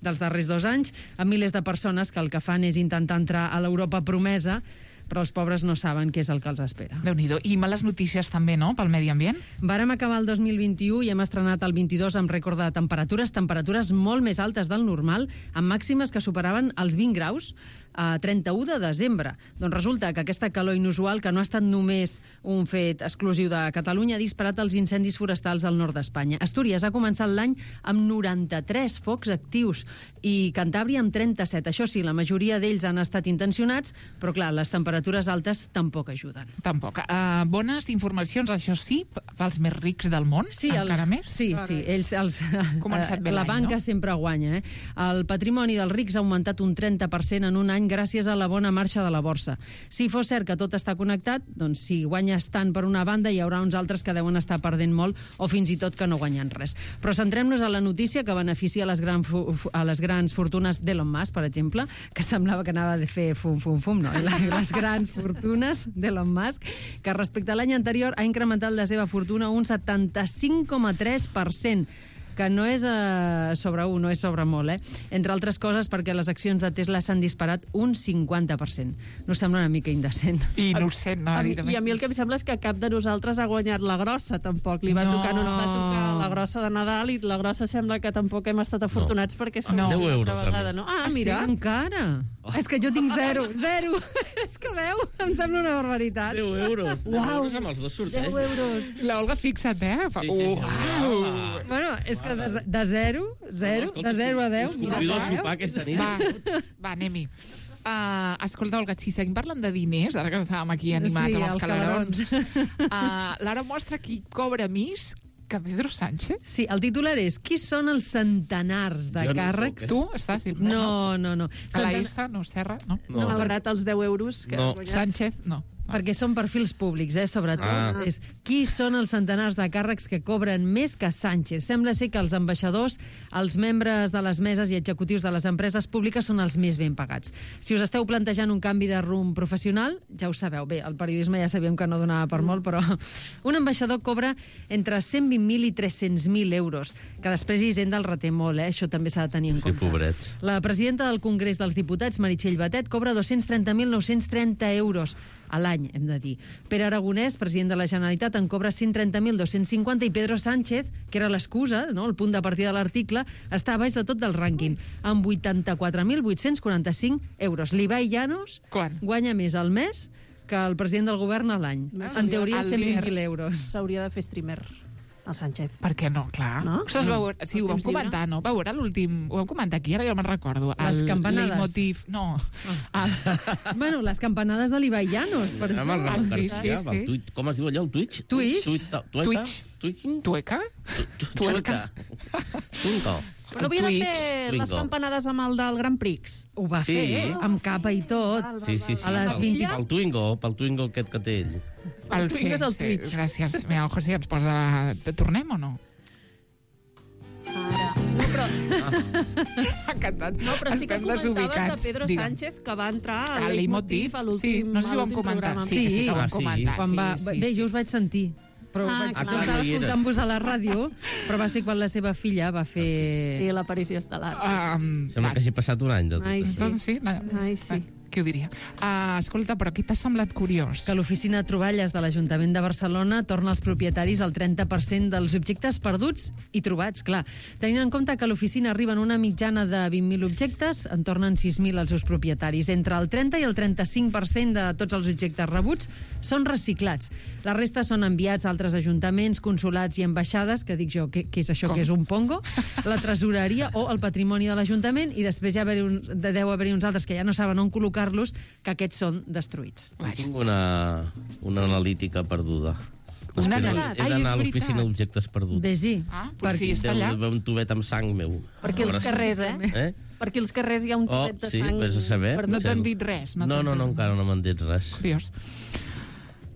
dels darrers 2 anys, amb milers de persones que el que fan és intentar entrar a l'Europa promesa, però els pobres no saben què és el que els espera. Déu-n'hi-do. I males notícies també, no?, pel medi ambient? Vàrem acabar el 2021 i hem estrenat el 22 amb rècord de temperatures molt més altes del normal, amb màximes que superaven els 20 graus a 31 de desembre. Doncs resulta que aquesta calor inusual, que no ha estat només un fet exclusiu de Catalunya, ha disparat els incendis forestals al nord d'Espanya. Astúries ha començat l'any amb 93 focs actius i Cantàbria amb 37. Això sí, la majoria d'ells han estat intencionats, però clar, les temperatures altes tampoc ajuden. Tampoc. Bones informacions, això sí, pels més rics del món, encara més? Sí, ells, la banca sempre guanya. El patrimoni dels rics ha augmentat un 30% en un any gràcies a la bona marxa de la borsa. Si fos cert que tot està connectat, doncs si guanyes tant per una banda hi haurà uns altres que deuen estar perdent molt o fins i tot que no guanyen res. Però centrem-nos a la notícia que beneficia a les grans fortunes d'Elon Musk, per exemple, que semblava que anava a fer fum, no? Les grans fortunes d'Elon Musk, que respecte a l'any anterior ha incrementat la seva fortuna un 75,3%. que no és sobre 1, no és sobre molt, entre altres coses perquè les accions de Tesla s'han disparat un 50%. No sembla una mica indecent. Innocent, no? I a mi el que em sembla és que cap de nosaltres ha guanyat la grossa, tampoc. Li va tocar, no ens va tocar la grossa de Nadal, i la grossa sembla que tampoc hem estat afortunats perquè som 10 euros. vegada, no? Ah, mira. Sí, encara. És que jo tinc 0. És que 10 em sembla una barbaritat. 10 euros. 10 euros amb els dos sorteig. 10 euros. L'Olga, fixa't, Sí. Bueno, és que de 0 a 10... Us convido a sopar aquesta nit. Va, anem-hi. Escolta, Olga, si seguim parlant de diners, ara que estàvem aquí animats amb els calarons, Lara mostra qui cobra més que Pedro Sánchez? Sí, el titular és qui són els centenars de càrrecs... Tu estàs... No. A la S, no, Serra, no? Malgrat els 10 euros que has guanyat. Sánchez, no. Perquè són perfils públics, sobretot. És qui són els centenars de càrrecs que cobren més que Sánchez. Sembla ser que els ambaixadors, els membres de les meses i executius de les empreses públiques són els més ben pagats. Si us esteu plantejant un canvi de rumb professional, ja ho sabeu. Bé, el periodisme ja sabíem que no donava per molt, però un ambaixador cobra entre 120.000 i 300.000 euros, que després Hisenda el reté molt, això també s'ha de tenir en compte. Pobrets. La presidenta del Congrés dels Diputats, Meritxell Batet, cobra 230.930 euros a l'any, hem de dir. Pere Aragonès, president de la Generalitat, en cobra 130.250 i Pedro Sánchez, que era l'excusa, no?, el punt de partida de l'article, està a baix de tot del rànquing, amb 84.845 euros. L'Ibai Llanos guanya més al mes que el president del govern a l'any. En teoria, 120.000 euros. S'hauria de fer streamer, el Sánchez. Per què no? Clar. No? Sí, ho vam comentar, no? Va veure l'últim... Ho vam comentar aquí, ara ja me'n recordo. Les campanades. Leitmotiv... No. Bueno, les campanades de l'Ibai Llanos. Sí. Com es diu allò, el Twitch? Tueca? Però havia de fer les campanades amb el del Grand Prix. Ho va fer, amb capa i tot. Sí. A les 20... Pel Twingo aquest que té ell. El Twingo és el Twitch. Gràcies. Mira, José, ens posa... Tornem o no? No, però... M'ha encantat. No, però sí que comentaves de Pedro Sánchez, que va entrar a Leitmotiv a l'últim programa. No sé si ho vam comentar. Sí, que ho vam comentar. Bé, jo us vaig sentir. Però estava escoltant-vos a la ràdio, però va ser quan la seva filla va fer... Sí, l'aparició estel·lar. Sembla que hagi passat un any de tot. Ai, sí. Qui ho diria? Escolta, però què t'ha semblat curiós? Que l'oficina de troballes de l'Ajuntament de Barcelona torna als propietaris el 30% dels objectes perduts i trobats, clar. Tenint en compte que l'oficina arriba en una mitjana de 20.000 objectes, en tornen 6.000 als seus propietaris. Entre el 30 i el 35% de tots els objectes rebuts són reciclats. La resta són enviats a altres ajuntaments, consulats i ambaixades, que dic jo, què és això, que és un pongo? La tresoreria o el patrimoni de l'Ajuntament, i després ja deu haver-hi uns altres que ja no saben on col·locar-los, que aquests són destruïts. Tinc una analítica perduda. He d'anar a l'oficina d'objectes perduts. Bé-sí. Potser està allà. Deu haver un tubet amb sang meu. Per aquí als carrers, Per aquí als carrers hi ha un tubet de sang. Sí, vés a saber. No t'han dit res? No, encara no m'han dit res. Curiós.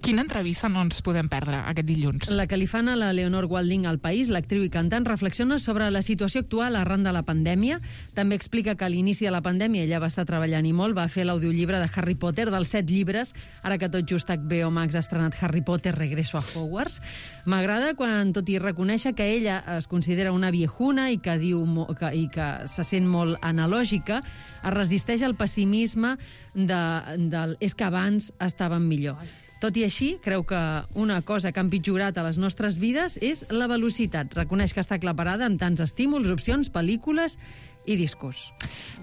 Quina entrevista no ens podem perdre aquest dilluns? La que li fan a la Leonor Walding al País, l'actriu i cantant, reflexiona sobre la situació actual arran de la pandèmia. També explica que a l'inici de la pandèmia ella va estar treballant i molt, va fer l'audiollibre de Harry Potter, dels 7 llibres, ara que tot just HBO Max ha estrenat Harry Potter, Regreso a Hogwarts. M'agrada quan, tot i reconèixer que ella es considera una viejuna i que que se sent molt analògica, es resisteix al pessimisme del és que abans estaven millor. Tot i així, creu que una cosa que ha empitjorat a les nostres vides és la velocitat. Reconeix que està aclaparada amb tants estímuls, opcions, pel·lícules i discos.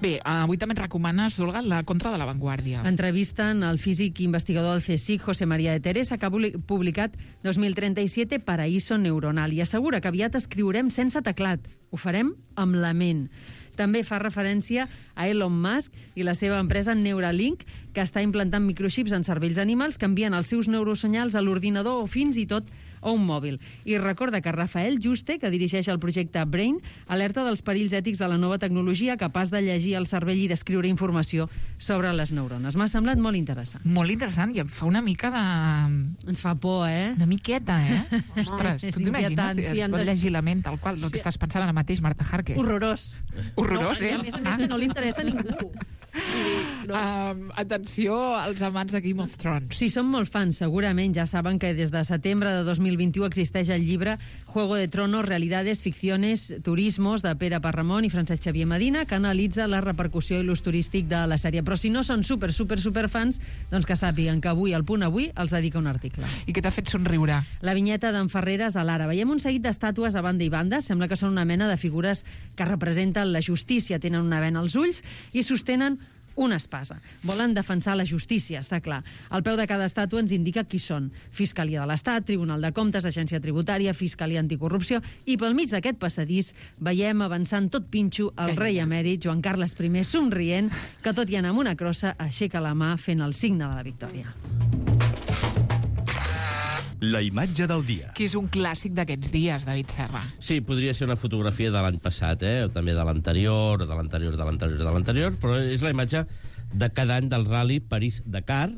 Bé, avui també et recomanes, Olga, La contra de l'avantguàrdia. Entrevisten al físic i investigador del CSIC, José María de Teresa, que ha publicat 2037 Paraíso neuronal, i assegura que aviat escriurem sense teclat. Ho farem amb la ment. També fa referència a Elon Musk i la seva empresa Neuralink, que està implantant microxips en cervells animals que envien els seus neurosenyals a l'ordinador o fins i tot a un mòbil. I recorda que Rafael Juste, que dirigeix el projecte Brain, alerta dels perills ètics de la nova tecnologia capaç de llegir el cervell i d'escriure informació sobre les neurones. M'ha semblat molt interessant. Molt interessant, i em fa una mica de... Ens fa por, Una miqueta, Ostres, tu t'imagines? Et pot llegir la ment tal qual, el que estàs pensant ara mateix, Marta Harker. Horrorós. Horrorós, A més que no li interessa a ningú. Atenció als amants de Game of Thrones. Si són molt fans, segurament ja saben que des de setembre de 2021 existeix el llibre Juego de Tronos, Realidades, Ficciones, Turismos, de Pere Parramon i Francesc Xavier Medina, que analitza la repercussió i l'ús turístic de la sèrie. Però si no són superfans, doncs que sàpiguen que avui, al Punt Avui, els dedica un article. I què t'ha fet somriure? La vinyeta d'en Ferreres a l'Ara. Veiem un seguit d'estàtues a banda i banda. Sembla que són una mena de figures que representen la justícia. Tenen una vena als ulls i sostenen una espasa. Volen defensar la justícia, està clar. Al peu de cada estàtua ens indica qui són. Fiscalia de l'Estat, Tribunal de Comptes, Agència Tributària, Fiscalia Anticorrupció, i pel mig d'aquest passadís veiem avançant tot pinxo el rei emèrit Joan Carles I somrient, que tot i anar amb una crossa aixeca la mà fent el signe de la victòria. La imatge del dia. Que és un clàssic d'aquests dies, David Serra. Sí, podria ser una fotografia de l'any passat, o també de l'anterior, però és la imatge de cada any del Rally París-Dakar,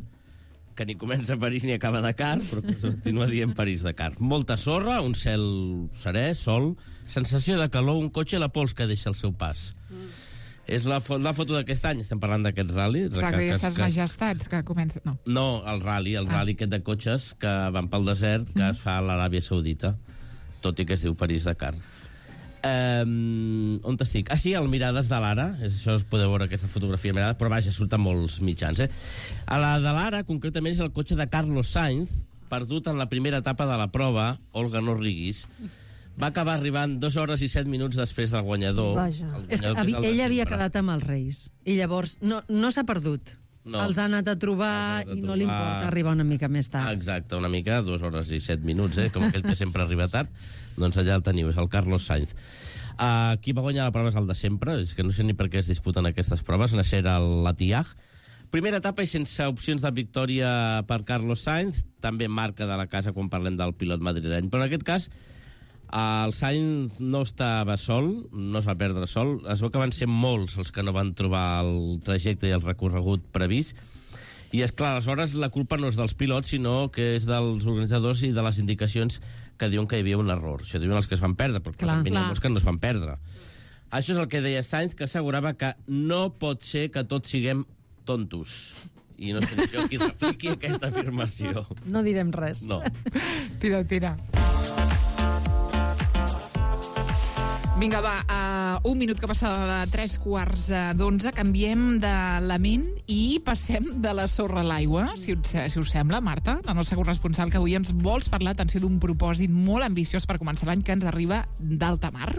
que ni comença a París ni acaba a Dakar, però continua dient París-Dakar. Molta sorra, un cel serè, sol, sensació de calor, un cotxe a la pols que deixa el seu pas. És la foto d'aquest any, estem parlant d'aquest rally. Aquestes majestats que comencen... No, el rally aquest de cotxes que van pel desert, que es fa a l'Aràbia Saudita, tot i que es diu París-Dakar. On estic? Sí, al Mirades de l'Ara, això es podeu veure aquesta fotografia mirada, però vaja, surten molts mitjans. A la de l'Ara, concretament, és el cotxe de Carlos Sainz, perdut en la primera etapa de la prova, Olga no riguis. Va acabar arribant 2 hores i 7 minuts després del guanyador. És que ell havia quedat amb els Reis. I llavors no s'ha perdut. No. Els ha anat a trobar i no li importa arribar una mica més tard. Exacte, una mica, 2 hores i 7 minuts, com aquell que sempre arriba tard. Doncs allà el teniu, és el Carlos Sainz. Qui va guanyar la prova és el de sempre, és que no sé ni per què es disputen aquestes proves, Nasser al-Attiyah. Primera etapa i sense opcions de victòria per Carlos Sainz, també marca de la casa quan parlem del pilot madrileny, però en aquest cas el Sainz no estava sol, no es va perdre sol, es veu que van ser molts els que no van trobar el trajecte i el recorregut previst, i és clar, aleshores la culpa no és dels pilots, sinó que és dels organitzadors i de les indicacions que diuen que hi havia un error. Això diuen els que es van perdre, però també n'hi ha molts que no es van perdre. Això és el que deia Sainz, que assegurava que no pot ser que tots siguem tontos. I no sé jo qui repliqui aquesta afirmació. No direm res. No. Tira. Vinga, va, un minut que passava de 3:15, canviem d'element i passem de la sorra a l'aigua, si us sembla, Marta, la nostra corresponsal, que avui ens vols parlar, atenció, d'un propòsit molt ambiciós per començar l'any que ens arriba d'alta mar.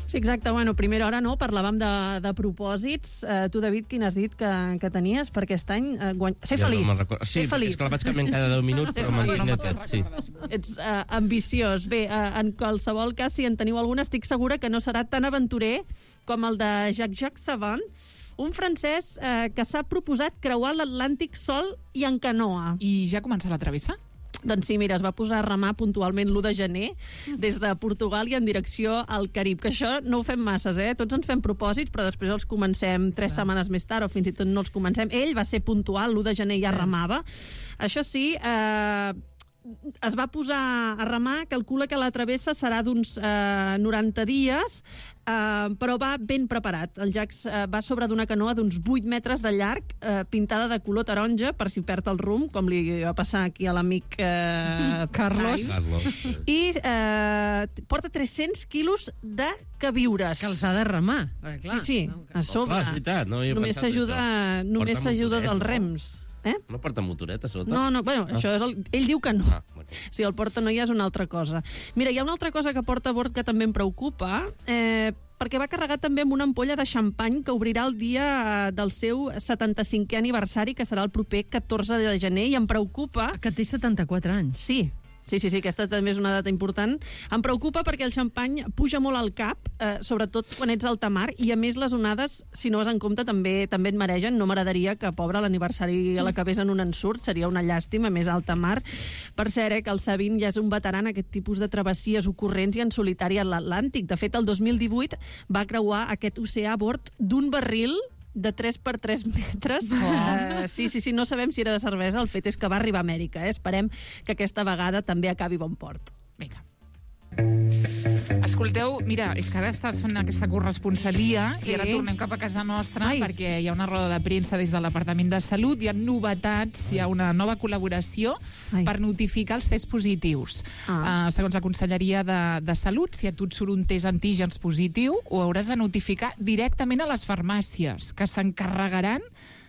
Sí, exacte. Bueno, primera hora, no? Parlàvem de propòsits. Tu, David, quin has dit que tenies per aquest any? Ser feliç. Sí, és que la vaig canviant cada 10 minuts, però mantinc tot. Sí. Ets ambiciós. Bé, en qualsevol cas, si en teniu alguna, estic segura que no serà tan aventurer com el de Jacques Savant, un francès que s'ha proposat creuar l'Atlàntic sol i en canoa. I ja comença la travessa? Doncs sí, mira, es va posar a remar puntualment l'1 de gener des de Portugal i en direcció al Carib, que això no ho fem masses, Tots ens fem propòsits, però després els comencem 3 setmanes més tard, o fins i tot no els comencem. Ell va ser puntual, l'1 de gener ja remava. Això sí, es va posar a remar, calcula que la travessa serà d'uns 90 dies, però va ben preparat. El Jacques va sobre d'una canoa d'uns 8 metres de llarg, pintada de color taronja, per si perd el rumb, com li va passar aquí a l'amic Carlos. I porta 300 quilos de queviures. Que els ha de remar. Sí, a sobre. És veritat, no només s'ajuda dels rems. No porta motoreta sota? No, bueno, això és ell diu que no. Si el porta no ja és una altra cosa. Mira, hi ha una altra cosa que porta a bord que també em preocupa, perquè va carregar també amb una ampolla de xampany que obrirà el dia del seu 75è aniversari, que serà el proper 14 de gener, i em preocupa... Que té 74 anys. Sí, aquesta també és una data important. Em preocupa perquè el xampany puja molt al cap, sobretot quan ets a alta mar, i a més les onades, si no vas en compte, també et maregen. No m'agradaria que, pobre, l'aniversari l'acabés en un ensurt, seria una llàstima, més a alta mar. Per cert, que el Sabin ja és un veteran aquest tipus de travessies ocorrents i en solitari a l'Atlàntic. De fet, el 2018 va creuar aquest oceà a bord d'un barril de 3 per 3 metres. Sí, no sabem si era de cervesa, el fet és que va arribar a Amèrica. Esperem que aquesta vegada també acabi bon port. Vinga. Escolteu, mira, és que ara estàs fent aquesta corresponsalia i ara tornem cap a casa nostra perquè hi ha una roda de premsa des de l'Apartament de Salut, hi ha novetats, hi ha una nova col·laboració per notificar els tests positius. Segons la Conselleria de Salut, si a tu et surt un test antígens positiu, ho hauràs de notificar directament a les farmàcies, que s'encarregaran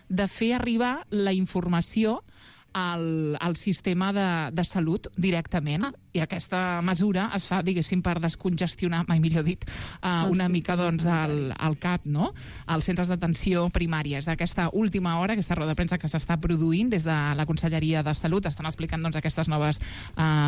de fer arribar la informació al sistema de salut directament. I aquesta mesura es fa, diguéssim, per descongestionar, mai millor dit, una mica doncs al CAP, no? als centres d'atenció primària. És aquesta última hora, aquesta roda de premsa que s'està produint des de la Conselleria de Salut, estan explicant doncs, aquestes noves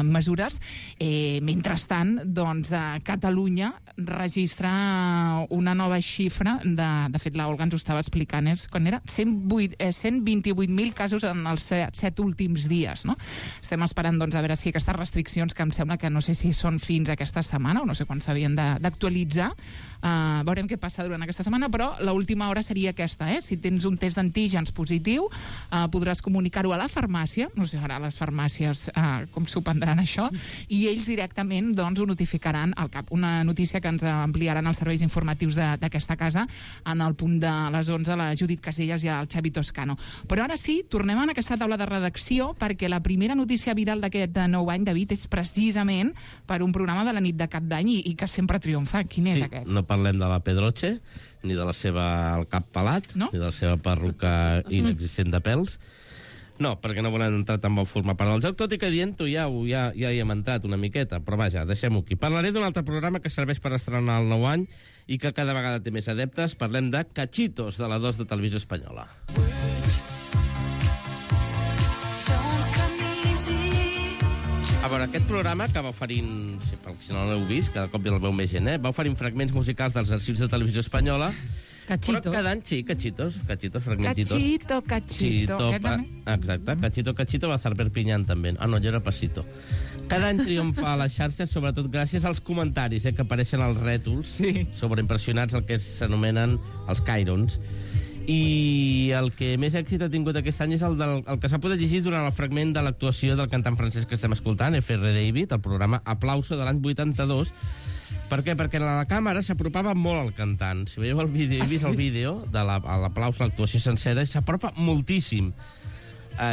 mesures. Mentrestant, doncs, Catalunya registra una nova xifra, de fet, l'Olga ens ho estava explicant, quan era 128.000 casos en els 7 últims dies. No? Estem esperant doncs, a veure si aquestes restriccions, que em sembla que no sé si són fins aquesta setmana o no sé quan s'havien d'actualitzar, veurem què passa durant aquesta setmana, però l'última hora seria aquesta. Si tens un test d'antígens positiu, podràs comunicar-ho a la farmàcia, no sé ara les farmàcies com s'ho prendran això, i ells directament doncs, ho notificaran al CAP. Una notícia que ens ampliaran els serveis informatius d'aquesta casa en el punt de les 11, la Judit Casellas i el Xavi Toscano. Però ara sí, tornem a aquesta taula de redacció perquè la primera notícia viral d'aquest nou any, David, és precisament per un programa de la nit de Cap d'Any i que sempre triomfa. Quin és aquest? No parlem de la Pedroche, ni de la seva el cap pelat, ni de la seva perruca inexistent de pèls. No, perquè no volen entrar tan bon formar part del joc, tot i que dient-ho ja hi hem entrat una miqueta, però vaja, deixem-ho aquí. Parlaré d'un altre programa que serveix per estrenar el nou any i que cada vegada té més adeptes. Parlem de Cachitos, de la 2 de Televisió Espanyola. A veure, aquest programa que va oferint, si no l'heu vist, cada cop el veu més gent, va oferint fragments musicals dels arxius de Televisió Espanyola. Cachitos. Però cada any, sí, cachitos, fragmentitos. Cachito. Exacte, Cachito va a Perpinyán també. No, jo era Pasito. Cada any triomfa a les xarxes, sobretot gràcies als comentaris que apareixen als rètols, sobreimpressionats, el que s'anomenen els cairons. I el que més èxit ha tingut aquest any és el que s'ha pogut llegir durant el fragment de l'actuació del cantant francès que estem escoltant, F.R. David, el programa Aplauso de l'any 82. Per què? Perquè la càmera s'apropava molt al cantant. Si veieu el vídeo, he vist el vídeo de l'aplauso, l'actuació sencera, s'apropa moltíssim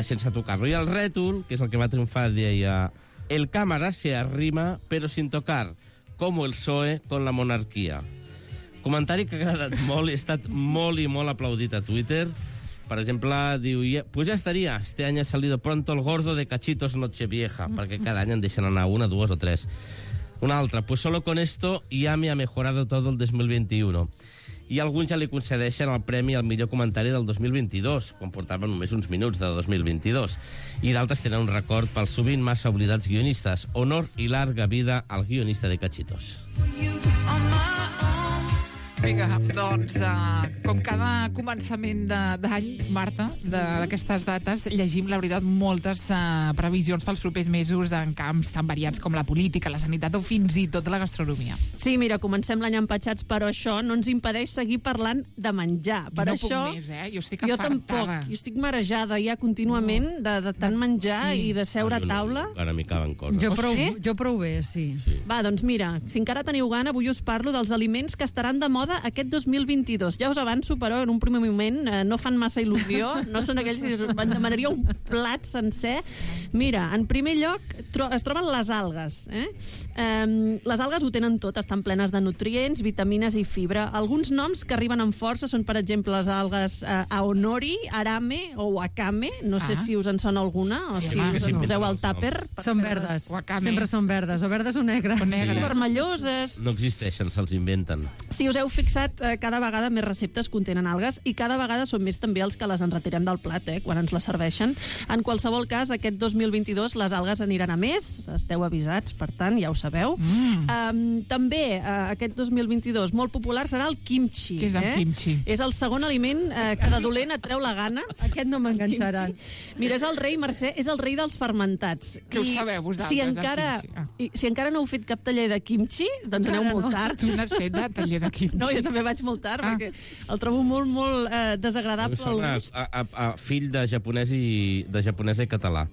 sense tocar-lo. I el rètol, que és el que va triomfar, deia: el càmera se arrima però sin tocar, como el PSOE con la monarquía. Comentari que ha agradat molt, ha estat molt i molt aplaudit a Twitter. Per exemple, diu: pues ya estaría, este año ha salido pronto el gordo de Cachitos Nochevieja, perquè cada any en deixen anar una, dues o tres. Una altra: pues solo con esto ya me ha mejorado todo el 2021. I alguns ja li concedeixen el premi al millor comentari del 2022, quan portaven només uns minuts de 2022. I d'altres tenen un record pels sovint massa oblidats guionistes. Honor i larga vida al guionista de Cachitos. Vinga, doncs, com cada començament d'any, Marta, d'aquestes dates, llegim, la veritat, moltes previsions pels propers mesos en camps tan variats com la política, la sanitat o fins i tot la gastronomia. Sí, mira, comencem l'any empatxats, però això no ens impedeix seguir parlant de menjar. Per no això, puc més, jo estic afartada. Jo tampoc, jo estic marejada ja contínuament de tant menjar i de seure a taula. Ara m'hi caben coses. Jo prou bé, sí. Va, doncs mira, si encara teniu gana, avui us parlo dels aliments que estaran de moda aquest 2022. Ja us avanço, però, en un primer moment no fan massa il·lusió, no són aquells que em demanaria un plat sencer. Mira, en primer lloc es troben les algues. Les algues ho tenen tot, estan plenes de nutrients, vitamines i fibra. Alguns noms que arriben amb força són, per exemple, les algues aonori, arame o wakame. No sé si us en sona alguna, o si us en poseu al tàper. Són verdes, sempre són verdes, o verdes o negres. Vermelloses. No existeixen, se'ls inventen. Si us heu fixat, cada vegada més receptes contenen algues i cada vegada són més també els que les enretirem del plat, quan ens les serveixen. En qualsevol cas, aquest 2022 les algues aniran a més, esteu avisats, per tant, ja ho sabeu. També, aquest 2022, molt popular serà el kimchi. Què és el kimchi? És el segon aliment que de dolent et treu la gana. Aquest no m'enganxarà. Mira, és el rei, Mercè, és el rei dels fermentats. Que ho sabeu vosaltres, si encara no heu fet cap taller de kimchi, doncs aneu molt tard. Tu n'has fet de taller de kimchi? No, jo també vaig molt tard, perquè el trobo molt, molt desagradable al gust. Fill de japonès i català.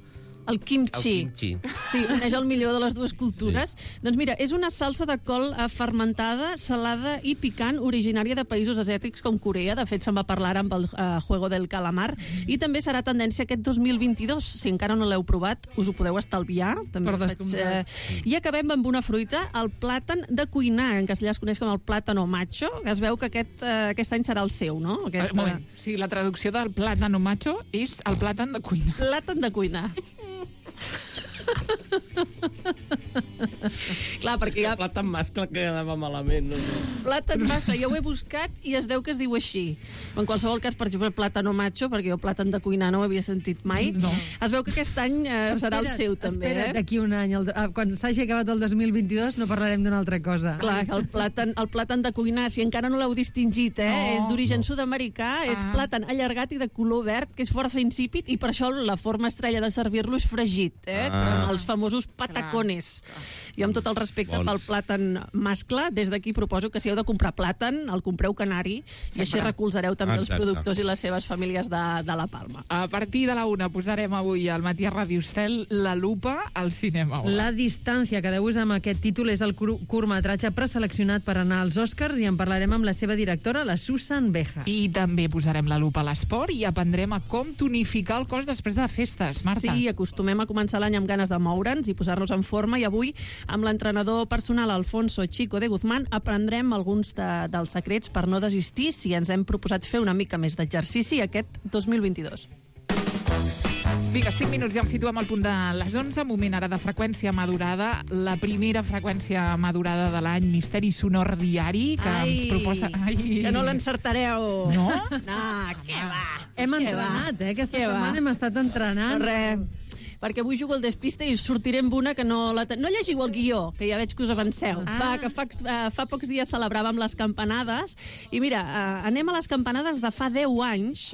El kimchi. Sí, uneix el millor de les dues cultures. Sí. Doncs mira, és una salsa de col fermentada, salada i picant, originària de països asiàtics com Corea. De fet, se'n va parlar amb el Juego del Calamar. I també serà tendència aquest 2022. Si encara no l'heu provat, us ho podeu estalviar. També I acabem amb una fruita, el plàtan de cuinar. En castellà es coneix com el plàtano macho. Es veu que aquest any serà el seu, no? Moment, sí, la traducció del plàtano macho és el plàtan de cuinar. Plàtan de cuinar. Clar, perquè hi ha... Plàtan mascle que quedava malament. Plàtan mascle, jo ho he buscat i es deu que es diu així. En qualsevol cas, per exemple, plàtano macho, perquè jo plàtan de cuinar no ho havia sentit mai. No. Es veu que aquest any serà el seu, també. Espera't, d'aquí un any, quan s'hagi acabat el 2022, no parlarem d'una altra cosa. Clar, el plàtan de cuinar, si encara no l'heu distingit, és d'origen sud-americà, és plàtan allargat i de color verd, que és força insípid, i per això la forma estrella de servir-lo és fregit, els famosos patacones. I amb tot el respecte pel plàtan mascle, des d'aquí proposo que si heu de comprar plàtan, el compreu canari, i així recolzareu també els productors i les seves famílies de la Palma. A partir de la 1 posarem avui al matí a Radio Estel La lupa al cinema. La distància, que deus amb aquest títol, és el curtmetratge preseleccionat per anar als Oscars, i en parlarem amb la seva directora, la Susan Beja. I també posarem la lupa a l'esport i aprendrem a com tonificar el cos després de festes, Marta. Sí, acostumem a començar l'any amb ganes de moure'ns i posar-nos en forma, i avui, amb l'entrenador personal Alfonso Chico de Guzmán, aprendrem alguns dels secrets per no desistir si ens hem proposat fer una mica més d'exercici aquest 2022. Vinga, 5 minuts, ja em situem al punt de les 11, moment ara de freqüència madurada, la primera freqüència madurada de l'any, Misteri Sonor Diari, que ens proposa... Que no l'encertareu. No? No, què va? Hem entrenat, aquesta setmana hem estat entrenant. Res, perquè avui jugo al despiste i sortiré amb una que no... No llegiu el guió, que ja veig que us avanceu. Va, que fa pocs dies celebràvem les campanades, i mira, anem a les campanades de fa 10 anys.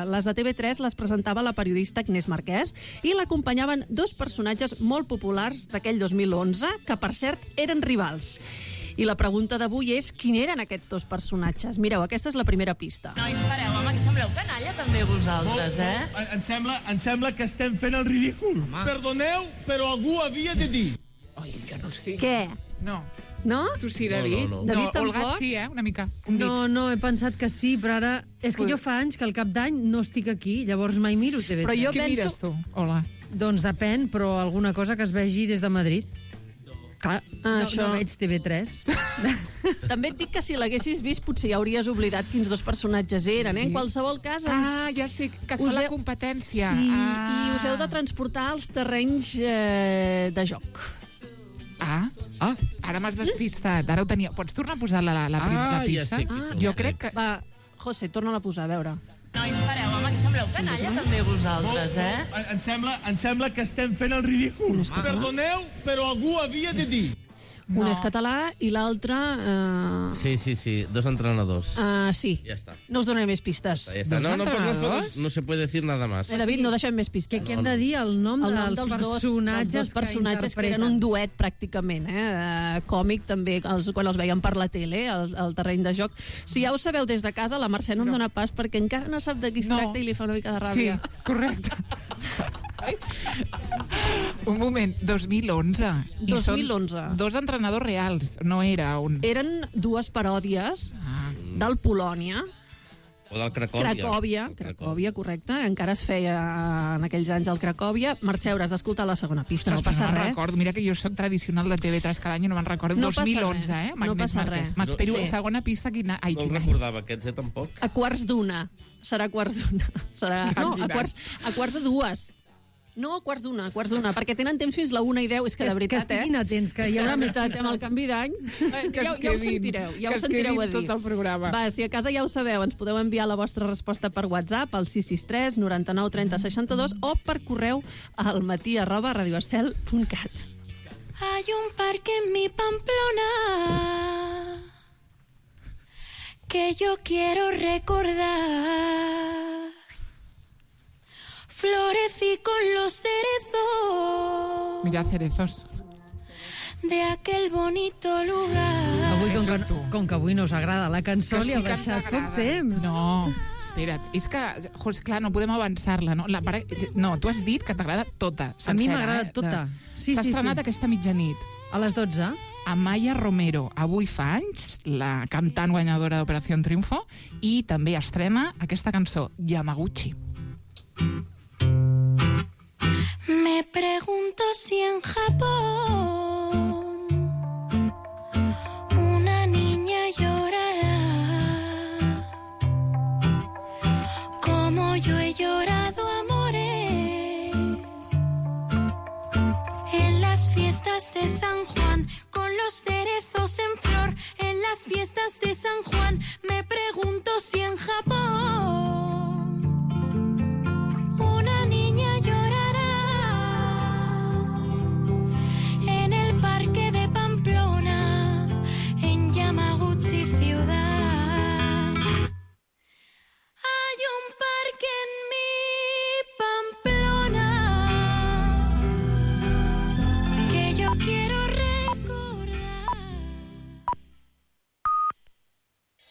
Les de TV3 les presentava la periodista Agnès Marquès, i l'acompanyaven dos personatges molt populars d'aquell 2011, que, per cert, eren rivals. I la pregunta d'avui és quin eren aquests dos personatges. Mireu, aquesta és la primera pista. Nois, pareu, home, que sembleu canalla també vosaltres, Em sembla que estem fent el ridícul. Perdoneu, però algú havia de dir. Ai, jo no estic... Què? No. No? Tu sí, David? No. David tampoc? Olga sí, una mica. No, he pensat que sí, però ara... És que jo fa anys que al cap d'any no estic aquí, llavors mai miro TV3. Però jo Què mires tu, Olga? Doncs depèn, però alguna cosa que es vegi des de Madrid. Clar, no veig TV3. També et dic que si l'haguessis vist potser ja hauries oblidat quins dos personatges eren, En qualsevol cas... Ja sé, que es fa la competència. Sí, i us heu de transportar als terrenys de joc. Ara m'has despistat. Ara ho tenia... Pots tornar a posar la pista? Ja sé qui són. Jo crec que... Va, José, torna-la a posar, a veure. Nois, pareu, home, que sembleu canalla també vosaltres, Em sembla que estem fent el ridícul. Perdoneu, però algú havia de dir. Un és català i l'altre... Sí, dos entrenadors. Sí. Ja està. No us donaré més pistes. Ja està. No se puede decir nada más. David, no deixem més pistes. Què hem de dir? El nom dels personatges que interpreten. Que eren un duet, pràcticament. Còmic, també, quan els veiem per la tele, al terreny de joc. Si ja ho sabeu des de casa, la Mercè no em dona pas, perquè encara no sap de qui es tracta i li fa una mica de ràbia. Sí, correcte. Un moment, 2011. 2011. Dos entrenadors reals, no era un... Eren dues paròdies del Polònia. O del Cracòvia. Cracòvia, correcte. Encara es feia en aquells anys al Cracòvia. Mercè, hauràs d'escoltar la segona pista. No passa res. Recordo. Mira que jo soc tradicional de TV3 cada any i no me'n recordo. 2011, No passa res. M'espero la segona pista. No el recordava aquests, tampoc. A quarts d'una. Serà a quarts d'una. No, a quarts de dues. No, a quarts d'una, perquè tenen temps fins la 1:10. És que de veritat, que estiguin atents, que hi haurà més pistes. Amb el canvi d'any, ja ho sentireu, ja ho sentireu a dir. Tot el programa. Va, si a casa ja ho sabeu, ens podeu enviar la vostra resposta per WhatsApp al 663 99 30 62 o per correu al matí@radioestel.cat. Hay un parque en mi Pamplona que yo quiero recordar. Florecí con los cerezos. Mira, cerezos. de aquel bonito lugar. Avui, com que avui no us agrada la cançó, Que li sí heu que ens deixat poc agrada. temps. No, espera't. És que, clar, no podem avançar-la, no? No, tu has dit que t'agrada tota, sencera. A mi m'agrada tota. Sí, S'ha sí, estrenat sí. aquesta mitjanit. A les 12. Amaya Romero, avui fa anys, la cantant guanyadora d'Operació Triunfo, i també estrena aquesta cançó, Yamaguchi. Me pregunto si en Japón una niña llorará como yo he llorado amores en las fiestas de San Juan, con los cerezos en flor en las fiestas de San Juan. Me pregunto si en Japón